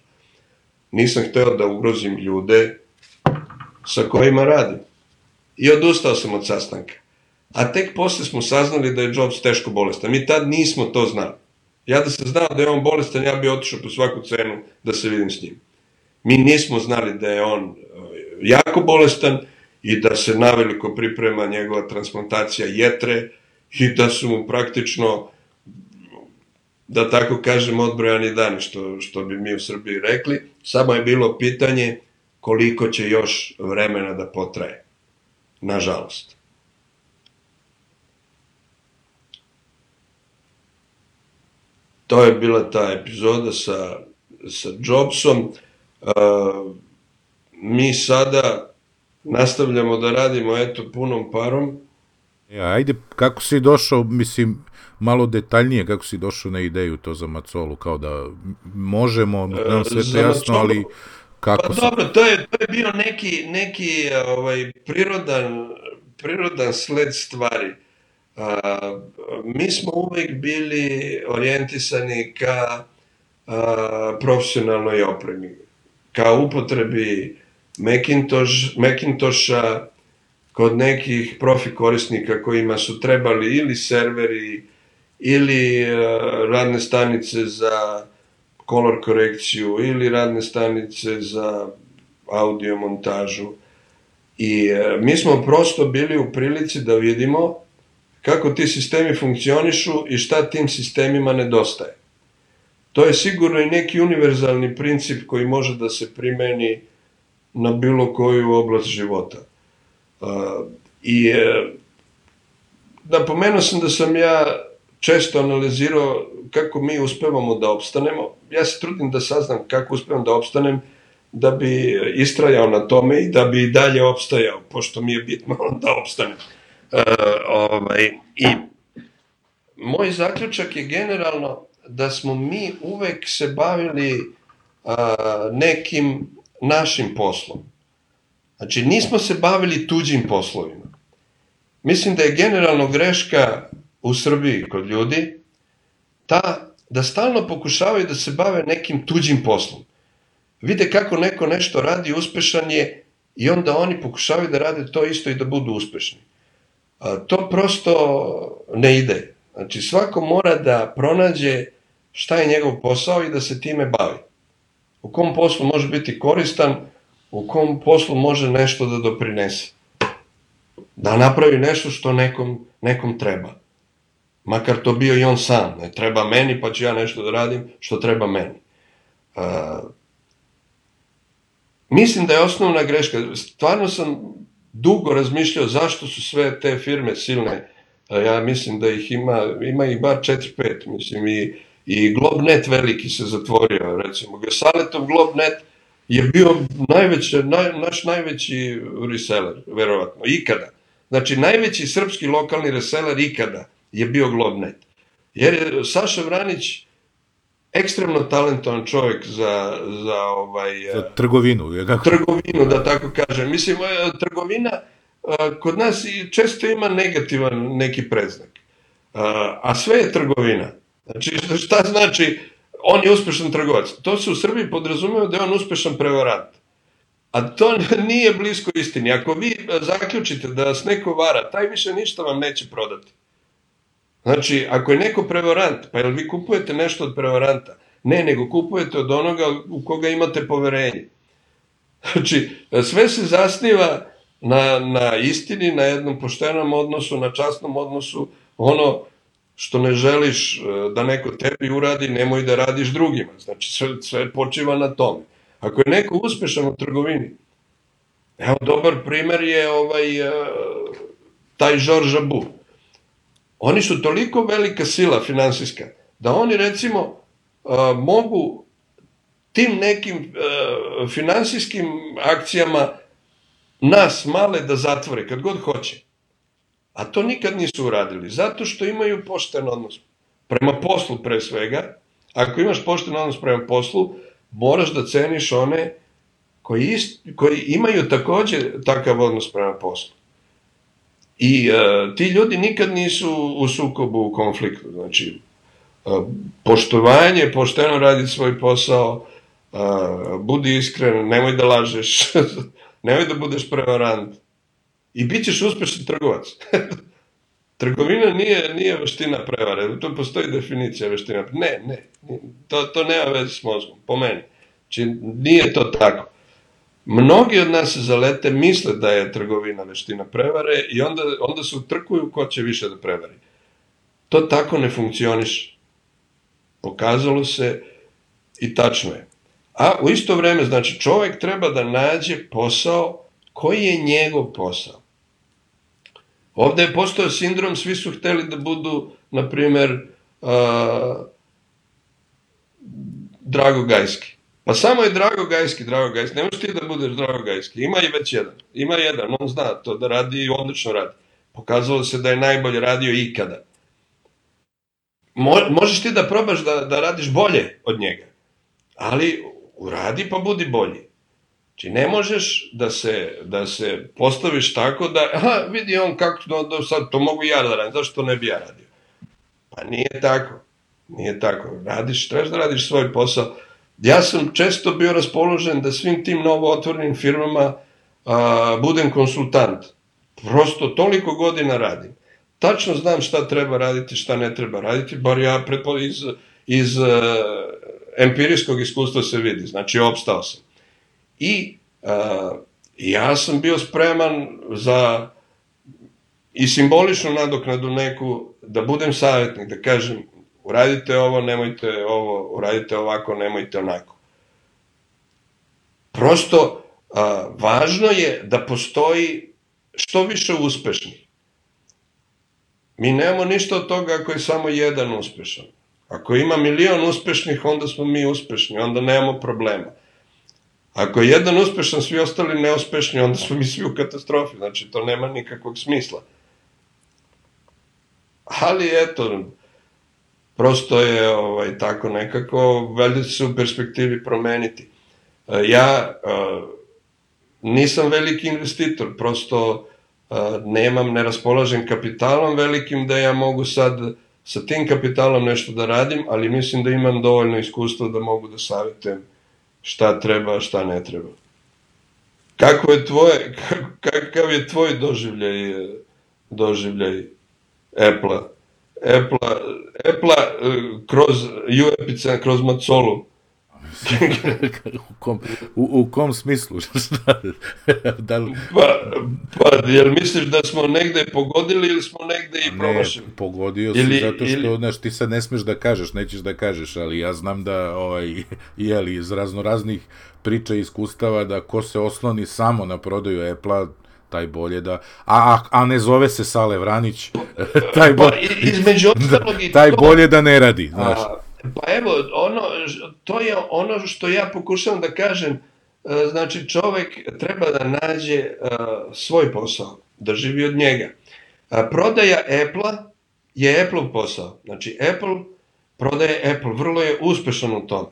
Nisam hteo da ugrozim ljude sa kojima radim. I odustao sam od sastanka. A tek posle smo saznali da je Jobs teško bolestan. Mi tad nismo to znali. Ja da sam znao da je on bolestan, ja bi otišao po svaku cenu da se vidim s njim. Mi nismo znali da je on jako bolestan i da se naveliko priprema njegova transplantacija jetre i da su mu praktično, da tako kažem, odbrojani dani, što bi mi u Srbiji rekli. Samo je bilo pitanje koliko će još vremena da potraje. Nažalost. To je bila ta epizoda sa Jobsom. Mi sada nastavljamo da radimo punom parom. Ajde, kako si došao, mislim, malo detaljnije, kako si došao na ideju to za Macolu, kao da možemo, nam sve to jasno, ali kako pa se... dobro, to je bio neki prirodan sled stvari. Mi smo uvek bili orijentisani ka profesionalnoj opremi, ka upotrebi Macintosha kod nekih profi korisnika kojima su trebali ili serveri ili radne stanice za kolor korekciju ili radne stanice za audio montažu. I mi smo prosto bili u prilici da vidimo kako ti sistemi funkcionišu i šta tim sistemima nedostaje. To je sigurno i neki univerzalni princip koji može da se primeni na bilo koju oblast života. I napomenuo sam da sam ja često analizirao kako mi uspevamo da opstanemo. Ja se trudim da saznam kako uspevam da opstanem, da bi istrajao na tome i da bi i dalje opstajao, pošto mi je bitno da opstanem. I moj zaključak je generalno da smo mi uvek se bavili nekim našim poslom. Znači, nismo se bavili tuđim poslovima. Mislim da je generalno greška u Srbiji kod ljudi ta da stalno pokušavaju da se bave nekim tuđim poslom. Vide kako neko nešto radi, uspešan je, i onda oni pokušavaju da rade to isto i da budu uspešni. To prosto ne ide. Znači, svako mora da pronađe šta je njegov posao i da se time bavi. U kom poslu može biti koristan, u kom poslu može nešto da doprinese. Da napravi nešto što nekom treba. Makar to bio i on sam. Ne treba meni, pa ću ja nešto da radim što treba meni. Mislim da je osnovna greška. Stvarno sam dugo razmišljao zašto su sve te firme silne. Ja mislim da ih ima ih bar 4-5. Mislim, i Globnet veliki se zatvorio. Recimo, Gesaletov Globnet je bio naš najveći reseller, verovatno, ikada. Znači, najveći srpski lokalni reseller ikada je bio Globnet. Jer je Saša Vranić ekstremno talentovan čovjek za trgovinu. Trgovinu, da tako kažem. Mislim, trgovina kod nas često ima negativan neki predznak. A sve je trgovina. Znači, šta znači on je uspešan trgovac? To se u Srbiji podrazumeva da je on uspešan prevarant. A to nije blisko istini. Ako vi zaključite da vas neko vara, taj više ništa vam neće prodati. Znači, ako je neko prevarant, pa jel vi kupujete nešto od prevaranta? Ne, nego kupujete od onoga u koga imate poverenje. Znači, sve se zasniva na istini, na jednom poštenom odnosu, na časnom odnosu. Ono što ne želiš da neko tebi uradi, nemoj da radiš drugima. Znači, sve počiva na tome. Ako je neko uspešan u trgovini, evo, dobar primer je taj Georges Abou. Oni su toliko velika sila finansijska, da oni, recimo, mogu tim nekim finansijskim akcijama nas male da zatvore kad god hoće. A to nikad nisu uradili, zato što imaju pošten odnos prema poslu pre svega. Ako imaš pošten odnos prema poslu, moraš da ceniš one koji imaju takođe takav odnos prema poslu. I ti ljudi nikad nisu u sukobu, u konfliktu. Znači, poštovanje, pošteno raditi svoj posao, budi iskren, nemoj da lažeš, nemoj da budeš prevarant. I bit ćeš uspešan trgovac. Trgovina nije veština prevare, tu postoji definicija veština. Ne, to nema veze s mozgom, po meni. Znači, nije to tako. Mnogi od nas se zalete, misle da je trgovina veština prevare i onda se utrkuju ko će više da prevari. To tako ne funkcioniše. Pokazalo se i tačno je. A u isto vreme, znači, čovjek treba da nađe posao koji je njegov posao. Ovde je postao sindrom, svi su hteli da budu, na primer, Drago Gajski. Pa samo je Drago Gajski. Ne možeš ti da budeš Drago Gajski. Ima i već jedan. Ima jedan, on zna to da radi i odlično radi. Pokazalo se da je najbolje radio ikada. Možeš ti da probaš da radiš bolje od njega, ali uradi pa budi bolji. Znači ne možeš da se postaviš tako da, vidi on kako sad to mogu ja da radim, zašto to ne bi ja radio? Pa nije tako. Nije tako. Trebaš da radiš svoj posao. Ja sam često bio raspoložen da svim tim novo otvorenim firmama budem konsultant. Prosto toliko godina radim. Tačno znam šta treba raditi, šta ne treba raditi, bar ja iz empirijskog iskustva se vidi. Znači, opstao sam. I ja sam bio spreman za i simboličnu nadoknadu neku, da budem savjetnik, da kažem, uradite ovo, nemojte ovo, uradite ovako, nemojte onako. Prosto, važno je da postoji što više uspešnih. Mi nemamo ništa od toga ako je samo jedan uspešan. Ako ima 1.000.000 uspešnih, onda smo mi uspešni, onda nemamo problema. Ako je jedan uspešan, svi ostali neuspešni, onda smo mi svi u katastrofi. Znači, to nema nikakvog smisla. Ali, eto, prosto je tako nekako, valjda će se u perspektivi promeniti. Ja nisam veliki investitor, prosto ne raspolažem kapitalom velikim da ja mogu sad sa tim kapitalom nešto da radim, ali mislim da imam dovoljno iskustva da mogu da savjetujem šta treba, šta ne treba. Kakav je tvoj doživljaj Apple-a? Apple-a kroz U-Epicen, kroz Macolu. U kom smislu? Pa, jel misliš da smo negde pogodili ili smo negde i promašili? Ne, pogodio si zato što, znaš, ti sad ne smeš da kažeš, nećeš da kažeš, ali ja znam da, iz raznoraznih priča i iskustava, da ko se osloni samo na prodaju Apple-a, taj bolje da... A ne zove se Sale Vranić, taj bolje da ne radi, znaš. Pa evo, to je ono što ja pokušavam da kažem, znači čovek treba da nađe svoj posao, da živi od njega. Prodaja Apple-a je Apple posao, znači Apple prodaje Apple, vrlo je uspešan u tome.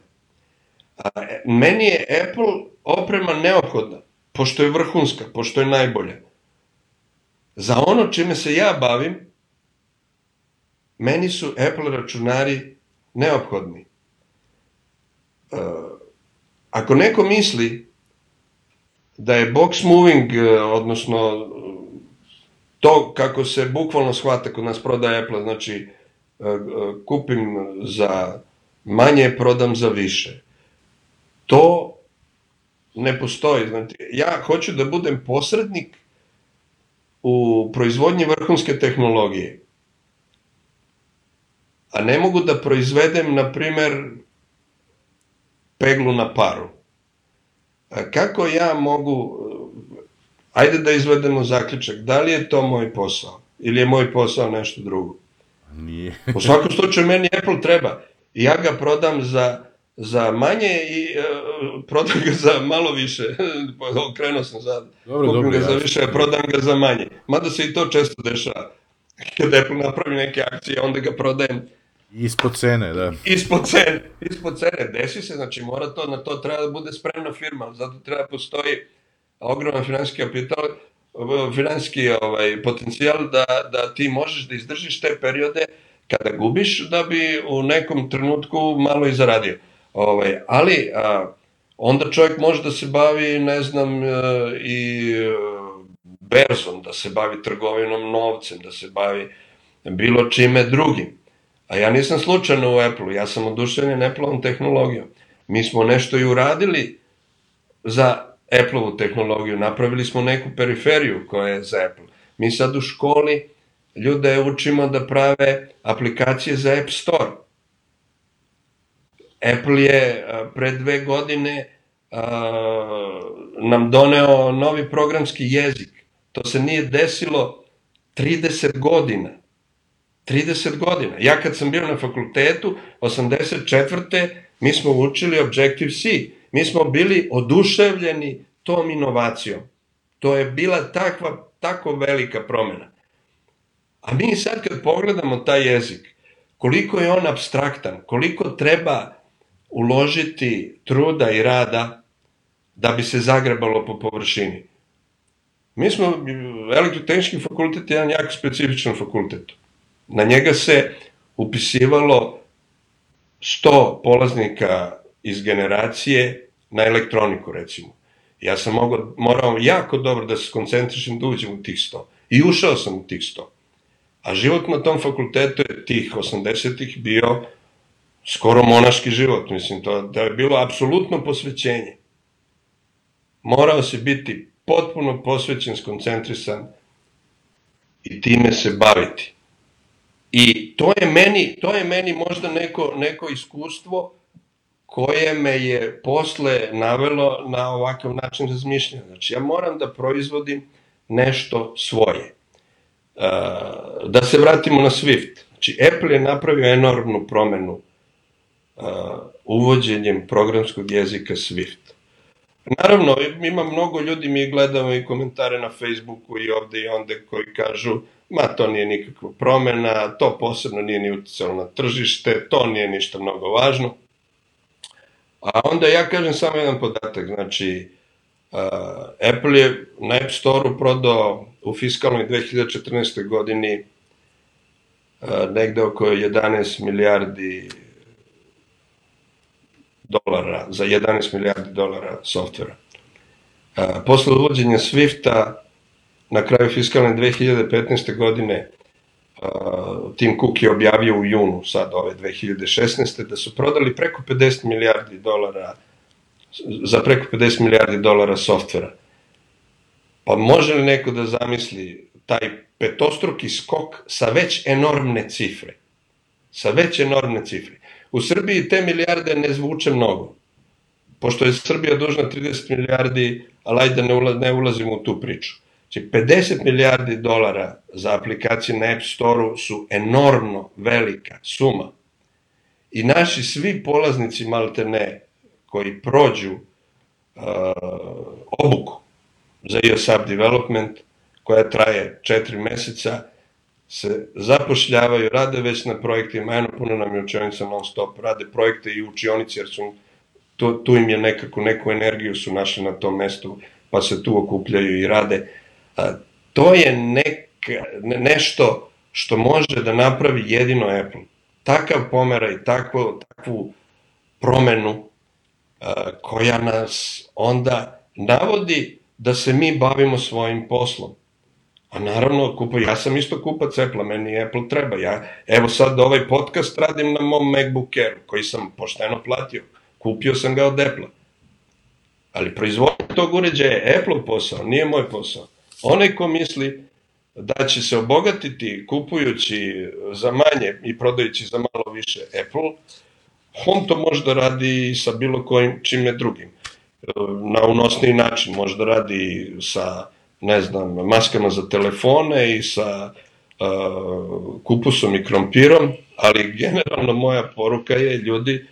Meni je Apple oprema neophodna, pošto je vrhunska, pošto je najbolja. Za ono čime se ja bavim, meni su Apple računari neophodni. Ako neko misli da je box moving, odnosno to kako se bukvalno shvata kod nas prodaje Apple, znači kupim za manje, prodam za više. To ne postoji. Znači, ja hoću da budem posrednik u proizvodnji vrhunske tehnologije. A ne mogu da proizvedem, na primer, peglu na paru. Kako ja mogu, ajde da izvedemo zaključak, da li je to moj posao ili je moj posao nešto drugo? Nije. U svakom slučaju meni Apple treba. Ja ga prodam za manje i prodam ga za malo više. Okrenuo sam sad. Kupim ga za više, prodam ga za manje. Mada se i to često dešava. Kada Apple napravi neke akcije, onda ga prodajem ispod cene, da. Ispod cene, desi se, znači na to treba da bude spremna firma, zato treba postoji ogroman finansijski kapital, finansijski potencijal da ti možeš da izdržiš te periode kada gubiš, da bi u nekom trenutku malo i zaradio. Ali onda čovjek može da se bavi, ne znam, i berzom, da se bavi trgovinom novcem, da se bavi bilo čime drugim. A ja nisam slučajno u Apple-u, ja sam oduševljen Apple-ovom tehnologijom. Mi smo nešto i uradili za Apple-ovu tehnologiju, napravili smo neku periferiju koja je za Apple. Mi sad u školi ljude učimo da prave aplikacije za App Store. Apple je pre 2 godine nam doneo novi programski jezik. To se nije desilo 30 godina. 30 godina. Ja kad sam bio na fakultetu, 84. mi smo učili Objective-C. Mi smo bili oduševljeni tom inovacijom. To je bila tako velika promjena. A mi sad kad pogledamo taj jezik, koliko je on apstraktan, koliko treba uložiti truda i rada da bi se zagrebalo po površini. Mi smo, elektrotehnički fakultet je jedan jako specifičan fakultet. Na njega se upisivalo 100 polaznika iz generacije na elektroniku, recimo. Ja sam morao jako dobro da se skoncentrišem da uđem u tih 100. I ušao sam u tih 100. A život na tom fakultetu je tih 80-ih bio skoro monaški život. Mislim, to je bilo apsolutno posvećenje. Morao si biti potpuno posvećen, skoncentrisan i time se baviti. I to je meni možda neko iskustvo koje me je posle navelo na ovakav način razmišljanja. Znači, ja moram da proizvodim nešto svoje. Da se vratimo na Swift. Znači, Apple je napravio enormnu promenu uvođenjem programskog jezika Swift. Naravno, ima mnogo ljudi, mi gledamo i komentare na Facebooku i ovde i onde koji kažu to nije nikakva promena, to posebno nije ni uticalo na tržište, to nije ništa mnogo važno. A onda ja kažem samo jedan podatak, znači Apple je na App Store-u prodao u fiskalnoj 2014. godini negde oko 11 milijardi dolara, za 11 milijardi dolara softvera. Posle uvođenja Swifta, na kraju fiskalne 2015. godine, Tim Cook je objavio u junu, sad ove 2016. da su prodali preko 50 milijardi dolara, za preko 50 milijardi dolara softvera. Pa može li neko da zamisli taj petostruki skok sa već enormne cifre? Sa već enormne cifre. U Srbiji te milijarde ne zvuče mnogo, pošto je Srbija dužna 30 milijardi, ali ajde ne ulazimo u tu priču. Znači, 50 milijardi dolara za aplikacije na App Store-u su enormno velika suma. I naši svi polaznici, malte ne, koji prođu obuku za iOS app development, koja traje 4 meseca, se zapošljavaju, rade već na projektima, eno puno nam je učionica non stop, rade projekte i učionici, jer tu im je neku energiju su našli na tom mestu, pa se tu okupljaju i rade. To je nešto što može da napravi jedino Apple. Takav pomeraj, takvu promenu koja nas onda navodi da se mi bavimo svojim poslom. A naravno, ja sam isto kupac Apple-a, meni Apple treba. Evo sad ovaj podcast radim na mom MacBook Air, koji sam pošteno platio. Kupio sam ga od Apple-a. Ali proizvodnja tog uređaja je Apple posao, nije moj posao. Onaj ko misli da će se obogatiti kupujući za manje i prodajući za malo više Apple, on to može da radi sa bilo kojim čime drugim. Na unosniji način može da radi sa, ne znam, maskama za telefone i sa kupusom i krompirom, ali generalno moja poruka je, ljudi,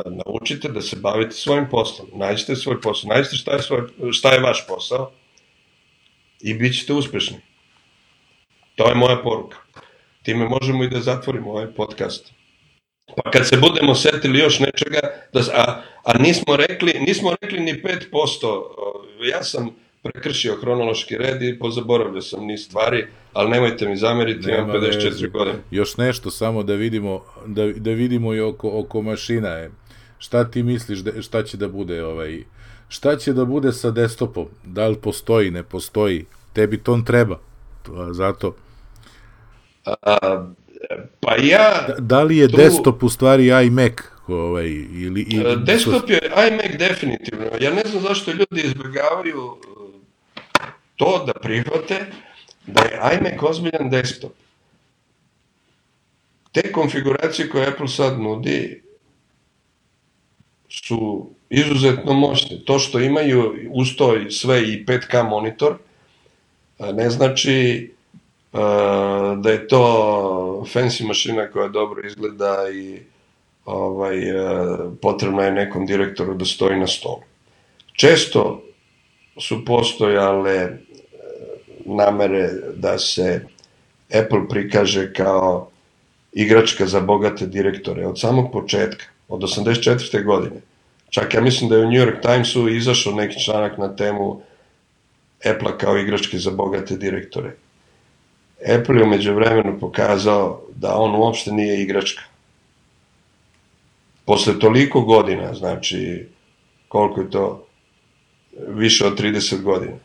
naučite da se bavite svojim poslom, nađite svoj posao, nađite šta je vaš posao i bit ćete uspešni. To je moja poruka. Time možemo i da zatvorimo ovaj podcast. Pa kad se budemo setili još nečega, a nismo rekli ni 5%, ja sam prekršio hronološki red i pozaboravljao sam niz stvari, ali nemojte mi zameriti, imam 54 godine. Još nešto samo da vidimo i oko mašina. Šta ti misliš, šta će da bude šta će da bude sa desktopom? Da li postoji, ne postoji? Tebi to treba. Zato. Pa ja... Da li je desktop u stvari iMac? Desktop je iMac definitivno. Ja ne znam zašto ljudi izbjegavaju to da prihvate da je iMac ozbiljan desktop. Te konfiguracije koje Apple sad nudi su izuzetno moćne. To što imaju uz to sve i 5K monitor ne znači da je to fancy mašina koja dobro izgleda i potrebno je nekom direktoru da stoji na stolu. Često su postojale namere da se Apple prikaže kao igračka za bogate direktore od samog početka, od 84. godine. Čak ja mislim da je u New York Timesu izašao neki članak na temu Apple kao igračke za bogate direktore. Apple je umeđu vremenu pokazao da on uopšte nije igračka. Posle toliko godina, znači koliko je to, više od 30 godina.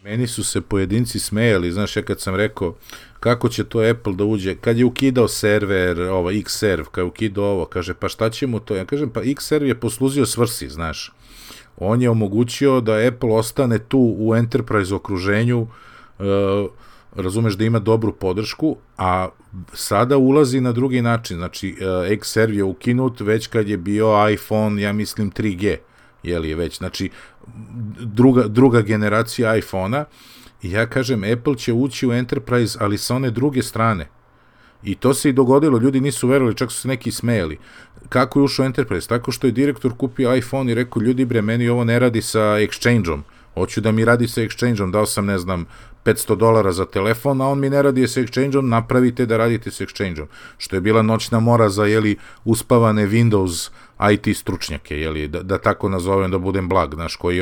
Meni su se pojedinci smejali, znaš, ja kad sam rekao kako će to Apple da uđe, kad je ukidao server, Xserve, kad je ukidao ovo, kaže, pa šta će mu to? Ja kažem, pa Xserve je posluzio svrsi, znaš. On je omogućio da Apple ostane tu u enterprise okruženju, razumeš da ima dobru podršku, a sada ulazi na drugi način, znači Xserve je ukinut već kad je bio iPhone, ja mislim 3G, jel je već, znači druga generacija iPhone-a, i ja kažem, Apple će ući u Enterprise, ali sa one druge strane. I to se i dogodilo, ljudi nisu verovali, čak su se neki smejali. Kako je ušao Enterprise? Tako što je direktor kupio iPhone i rekao, ljudi bre, meni ovo ne radi sa Exchange-om. Hoću da mi radi sa Exchange-om, dao sam, ne znam, $500 za telefon, a on mi ne radi sa Exchange-om, napravite da radite sa Exchange-om. Što je bila noćna mora za, uspavane Windows IT stručnjake, da tako nazovem, da budem blag, znaš, koji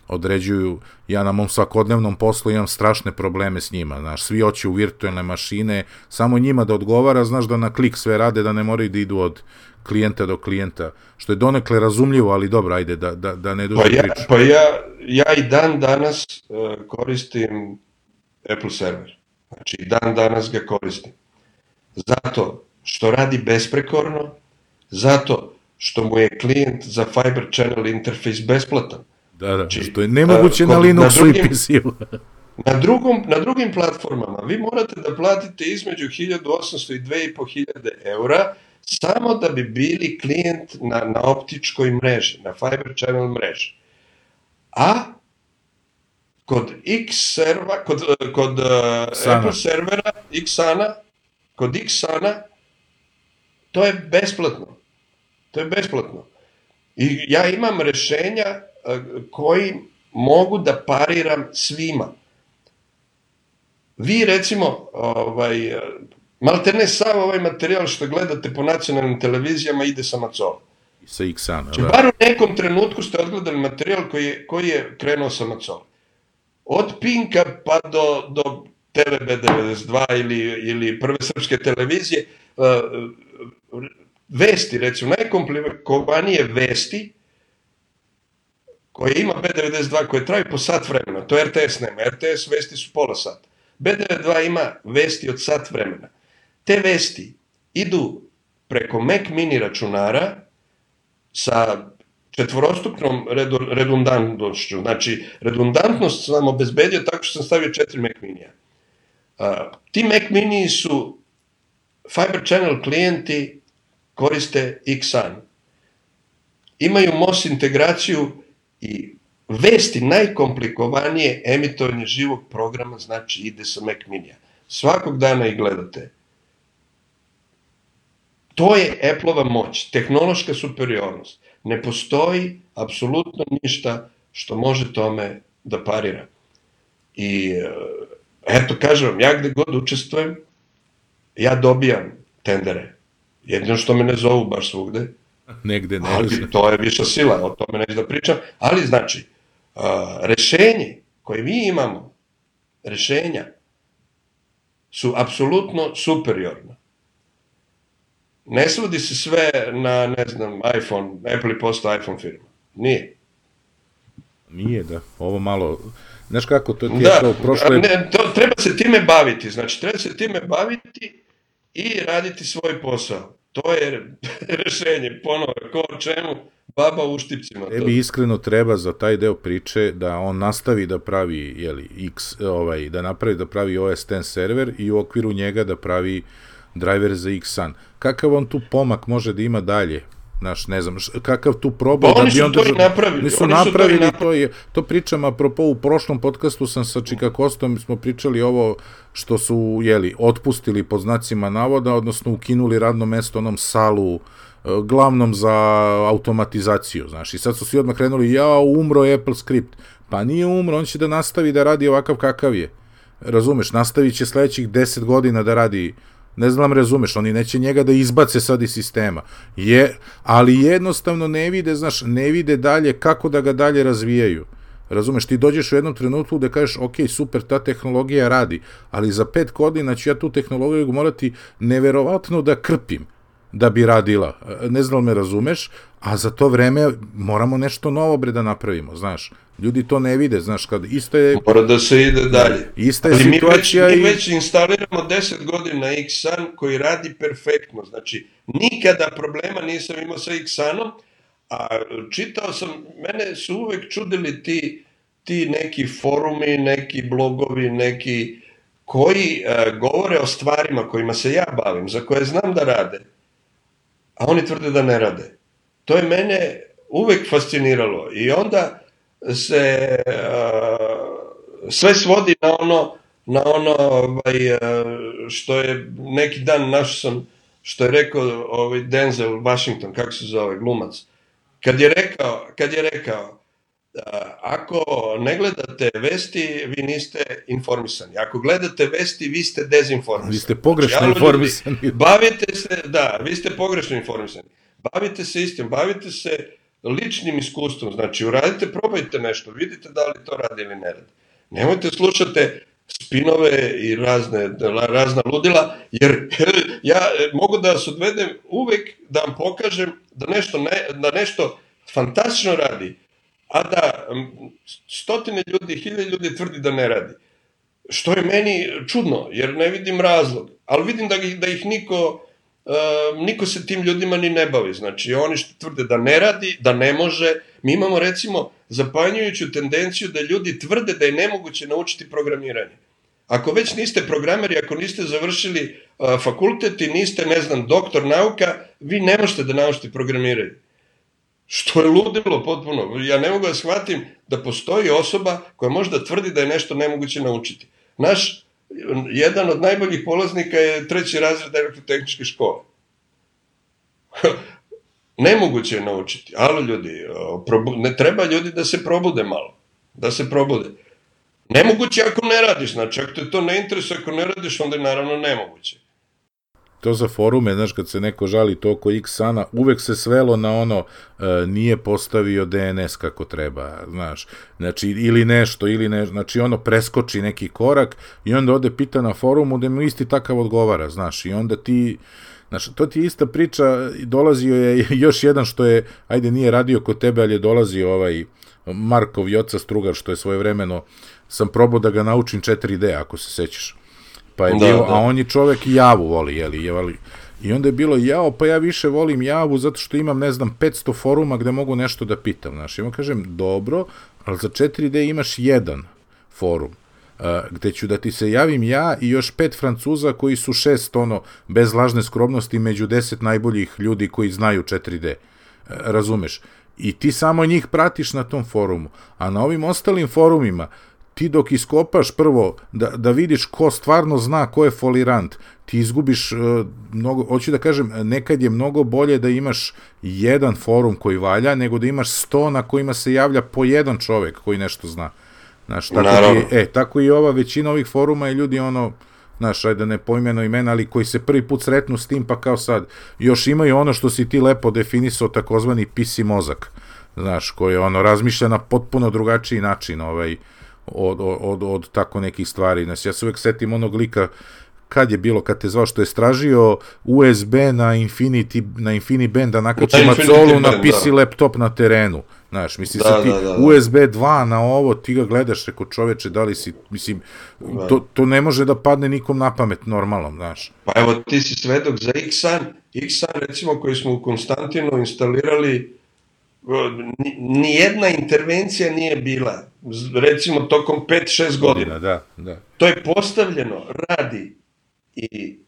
određuju, ja na mom svakodnevnom poslu imam strašne probleme s njima, znaš, svi hoće u virtualne mašine, samo njima da odgovara, znaš, da na klik sve rade, da ne moraju da idu od klijenta do klijenta, što je donekle razumljivo, ali dobro, ajde, da ne duže priču. Pa ja i dan danas koristim Apple server, znači i dan danas ga koristim, zato što radi besprekorno, zato što mu je klijent za Fiber Channel interfejs besplatan. Da, znači, što je nemoguće na Linuxu i PC-u. Na drugim platformama vi morate da platite između 1800 i 2500 eura samo da bi bili klijent na optičkoj mreži, na Fiber Channel mreži. A kod Xserva, kod Apple servera, kod Xsana, to je besplatno. To je besplatno. I ja imam rešenja koji mogu da pariram svima. Vi recimo, maltene sav ovaj materijal što gledate po nacionalnim televizijama ide sa Macola. Sa Xana, znači, bar u nekom trenutku ste odgledali materijal koji je krenuo sa Macola. Od Pinka pa do TVB92 ili Prve srpske televizije, vesti, recimo, najkomplikovanije vesti koje ima B92, koje traju po sat vremena, to RTS nema, RTS vesti su pola sata. B92 ima vesti od sat vremena. Te vesti idu preko Mac mini računara sa četvorostupnom redundantnošću. Znači, redundantnost sam obezbedio tako što sam stavio 4 Mac minija. Ti Mac miniji su Fiber Channel klijenti, koriste Xsan. Imaju MOS integraciju i vesti najkomplikovanije emitovanje živog programa, znači ide sa Mac minija. Svakog dana ih gledate. To je Apple-ova moć, tehnološka superiornost. Ne postoji apsolutno ništa što može tome da parira. I eto, kažem vam, ja gde god učestvujem, ja dobijam tendere. Jedino što me ne zovu baš svugde. Negde ne. Ali to je viša sila, o tome neću da pričam. Ali znači, rešenje koje mi imamo, rešenja, su apsolutno superiorna. Ne svodi se sve na, ne znam, iPhone, Apple je postao iPhone firma. Nije. Nije, da. Ovo malo... Znaš kako, to ti je kao prošle... Ne, treba se time baviti. Znači, treba se time baviti i raditi svoj posao. To je rešenje. Ponovo, ko o čemu, baba u štipcima. Tebi iskreno treba za taj deo priče da on nastavi da pravi, da pravi OS X server i u okviru njega da pravi driver za Xsan. Kakav on tu pomak može da ima dalje? Znaš, ne znam, kakav tu probao da bi on... Oni su to i napravili. Nisu napravili, to pričam, apropo u prošlom podcastu sam sa Čikakostom, smo pričali ovo što su, otpustili pod znacima navoda, odnosno ukinuli radno mesto onom Salu, glavnom za automatizaciju, znaš, i sad su svi odmah krenuli, umro je Apple script. Pa nije umro, on će da nastavi da radi ovakav kakav je. razumeš, nastavit će sledećih 10 godina da radi, ne znam, razumeš, oni neće njega da izbace sad iz sistema, ali jednostavno ne vide, znaš, ne vide dalje kako da ga dalje razvijaju. Razumeš, ti dođeš u jednom trenutku da kažeš, ok, super, ta tehnologija radi, ali za 5 godina ću ja tu tehnologiju morati neverovatno da krpim da bi radila. Ne znam, me razumeš, a za to vreme moramo nešto novo da napravimo, znaš. Ljudi to ne vide, znaš, kad isto je... Mora da se ide dalje. Ista je situacija mi već instaliramo 10 godina Xsan koji radi perfektno, znači nikada problema nisam imao sa Xanom, a čitao sam, mene su uvek čudili ti neki forumi, neki blogovi, neki koji govore o stvarima kojima se ja bavim, za koje znam da rade, a oni tvrde da ne rade. To je mene uvek fasciniralo i onda se sve svodi na ono što je neki dan našao sam, što je rekao Denzel Washington, kako se zove, glumac, kad je rekao ako ne gledate vesti, vi niste informisani. Ako gledate vesti, vi ste dezinformisani. Vi ste pogrešno informisani. Bavite se, da, vi ste pogrešno informisani. Bavite se istim, bavite se ličnim iskustvom. Znači, uradite, probajte nešto, vidite da li to radi ili ne radi. Nemojte slušate spinove i razna ludila, jer ja mogu da vas odvedem uvek da vam pokažem da nešto fantastično radi, a da stotine ljudi, hiljade ljudi tvrdi da ne radi. Što je meni čudno, jer ne vidim razlog. Ali vidim da ih niko se tim ljudima ni ne bavi. Znači, oni što tvrde da ne radi, da ne može. Mi imamo, recimo, zapanjujuću tendenciju da ljudi tvrde da je nemoguće naučiti programiranje. Ako već niste programeri, ako niste završili fakultet i niste, ne znam, doktor nauka, vi ne možete da naučite programiranje. Što je ludilo potpuno. Ja ne mogu da shvatim da postoji osoba koja možda tvrdi da je nešto nemoguće naučiti. Jedan od najboljih polaznika je 3. razred elektrotehničke škole. Nemoguće je naučiti. Alo ljudi, ne treba ljudi da se probude malo. Da se probude. Nemoguće ako ne radiš, znači ako te to ne interesuje, ako ne radiš, onda je naravno nemoguće. To za forume, znaš, kad se neko žali to oko Xana, uvek se svelo na ono nije postavio DNS kako treba, znaš, znači, ili nešto, znači ono preskoči neki korak i onda ode pita na forumu da mu isti takav odgovara, znaš, i onda ti, znaš, to ti je ista priča, dolazio je još jedan što je, ajde nije radio kod tebe, ali je dolazio Markov Joca Strugar, što je svojevremeno, sam probao da ga naučim 4D, ako se sećaš. Pa je bilo, a on je čovek i Javu voli, jeli, i onda je bilo pa ja više volim Javu zato što imam, ne znam, 500 foruma gde mogu nešto da pitam, znaš, i onda kažem, dobro, ali za 4D imaš jedan forum, gde ću da ti se javim ja i još 5 Francuza koji su 6, bez lažne skromnosti, među 10 najboljih ljudi koji znaju 4D, razumeš, i ti samo njih pratiš na tom forumu, a na ovim ostalim forumima, ti dok iskopaš prvo da vidiš ko stvarno zna ko je folirant, ti izgubiš mnogo, hoću da kažem, nekad je mnogo bolje da imaš jedan forum koji valja, nego da imaš 100 na kojima se javlja po jedan čovek koji nešto zna. Znaš, tako i ova većina ovih foruma i ljudi znaš, ajde ne poimeno imena, ali koji se prvi put sretnu s tim, pa kao sad, još imaju ono što si ti lepo definisao, takozvani PC mozak, znaš, koji razmišlja na potpuno drugačiji način, od tako nekih stvari. Znači, ja se uvek setim onog lika kad je bilo, kad te zvao što je stražio USB na InfiniBand da nakači macolu na PC laptop na terenu. Znaš, mislim se ti USB 2 na ovo, ti ga gledaš, reko čoveče, da li si, mislim, to ne može da padne nikom na pamet normalnom, znaš. Pa evo, ti si svedok za Xsan, recimo, koji smo u Konstantinu instalirali, nijedna intervencija nije bila, recimo tokom 5-6 godina. Da. To je postavljeno, radi i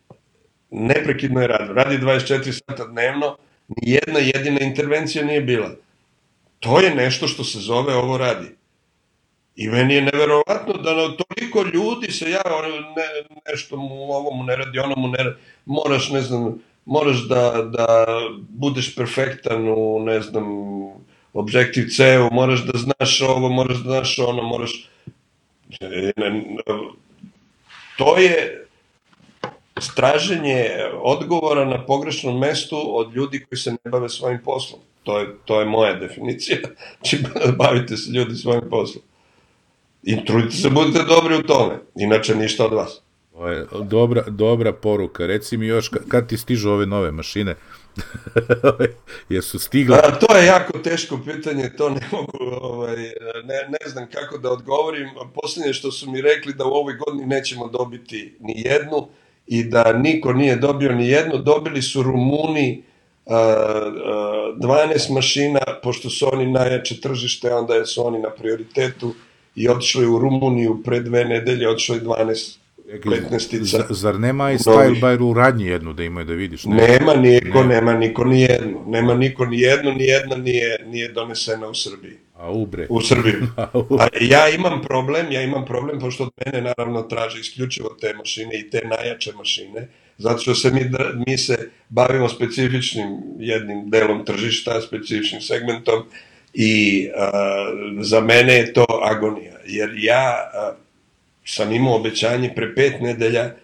neprekidno je radi 24 sata dnevno, nijedna jedina intervencija nije bila. To je nešto što se zove ovo radi. I meni je neverovatno da na toliko ljudi se nešto mu ovomu ne radi, onomu ne radi, moraš da budeš perfektan u, ne znam, Objective-C-u, moraš da znaš ovo, moraš da znaš ono, to je traženje odgovora na pogrešnom mestu od ljudi koji se ne bave svojim poslom. To je moja definicija. Znači, bavite se ljudi svojim poslom. I trudite se, budete dobri u tome. Inače, ništa od vas. To je dobra poruka. Reci mi još, kad ti stižu ove nove mašine? Jesu stigle? To je jako teško pitanje, to ne mogu, ne znam kako da odgovorim. Posljednje što su mi rekli da u ovoj godini nećemo dobiti ni jednu i da niko nije dobio ni jednu. Dobili su Rumuni 12 mašina, pošto su oni najjače tržište, onda su oni na prioritetu i otišli u Rumuniju pre 2 nedelje, otišli 12 15-ica. Zar nema i Style by u radnji jednu da imaju da vidiš? Nema niko ni jednu. Nema niko ni jednu, ni jedna nije donesena u Srbiji. U Srbiji. Ja imam problem, pošto od mene naravno traže isključivo te mašine i te najjače mašine, zato što mi se bavimo specifičnim jednim delom tržišta, specifičnim segmentom i za mene je to agonija, jer ja sam imao obećanje pre 5 nedelja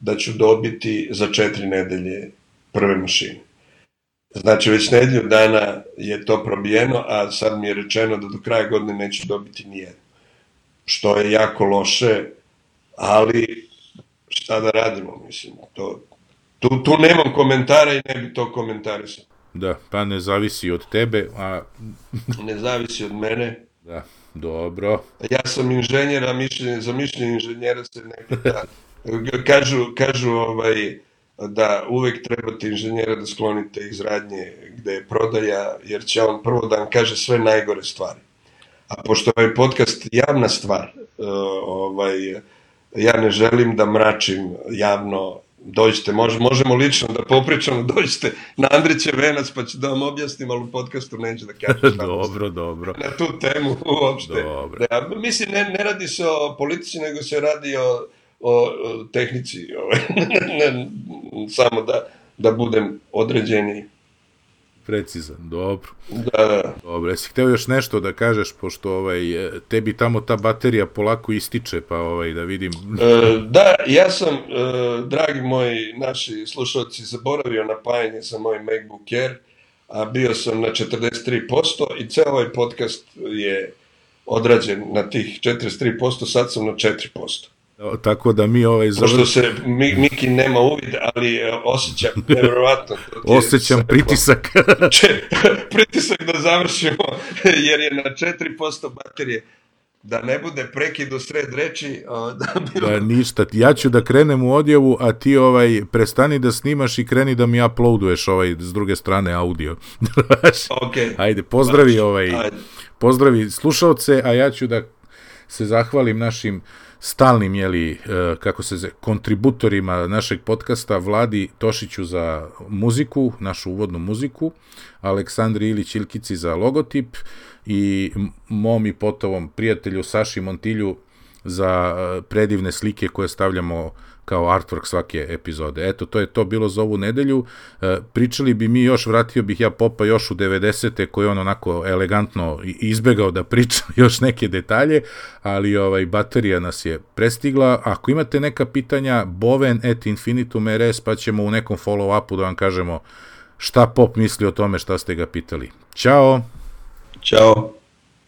da ću dobiti za 4 nedelje prve mašine. Znači, već nedelju dana je to probijeno, a sad mi je rečeno da do kraja godine neću dobiti nijednu. Što je jako loše, ali šta da radimo, mislim. Tu nemam komentara i ne bi to komentarisao. Da, pa ne zavisi od tebe, a... Ne zavisi od mene. Da, dobro. Ja sam inženjer, a za mišljenje inženjera se ne pita. Kažu da uvek trebate inženjera da sklonite iz radnje gde je prodaja, jer će on prvo da vam kaže sve najgore stvari. A pošto je ovaj podcast javna stvar, ja ne želim da mračim javno. Dođite, možemo lično da popričamo, dođite na Andrićev venac pa ću da vam objasnim, ali u podcastu neću da kažem. Dobro. Na tu temu uopšte. Mislim, ne radi se o politici, nego se radi o tehnici. Samo da budem određeni. Precizan, dobro. Da. Dobro, jesi hteo još nešto da kažeš, pošto tebi tamo ta baterija polako ističe, pa da vidim... Da, ja sam, dragi moji naši slušalci, zaboravio napajanje za moj MacBook Air, a bio sam na 43% i ceo ovaj podcast je odrađen na tih 43%, sad sam na 4%. Tako da mi Pošto se Miki nema uvid, ali osjećam, nevjerovatno. Osjećam pritisak. Pritisak da završimo, jer je na 4% baterije. Da ne bude prekid u sred reči. Da, ništa. Ja ću da krenem u odjavu, a ti prestani da snimaš i kreni da mi uploaduješ s druge strane audio. Ajde, pozdravi slušalce, a ja ću da se zahvalim našim stalnim, kontributorima našeg podcasta, Vladi Tošiću za muziku, našu uvodnu muziku, Aleksandri Ilić Ilkici za logotip i mom i potovom prijatelju Saši Montilju za predivne slike koje stavljamo kao artwork svake epizode. Eto, to je to bilo za ovu nedelju. Pričali bi mi još, vratio bih ja Popa još u 90. koji on onako elegantno izbegao da priča još neke detalje, ali baterija nas je prestigla. Ako imate neka pitanja, boven@infinitum.rs, pa ćemo u nekom follow-upu da vam kažemo šta Pop misli o tome šta ste ga pitali. Ćao! Ćao!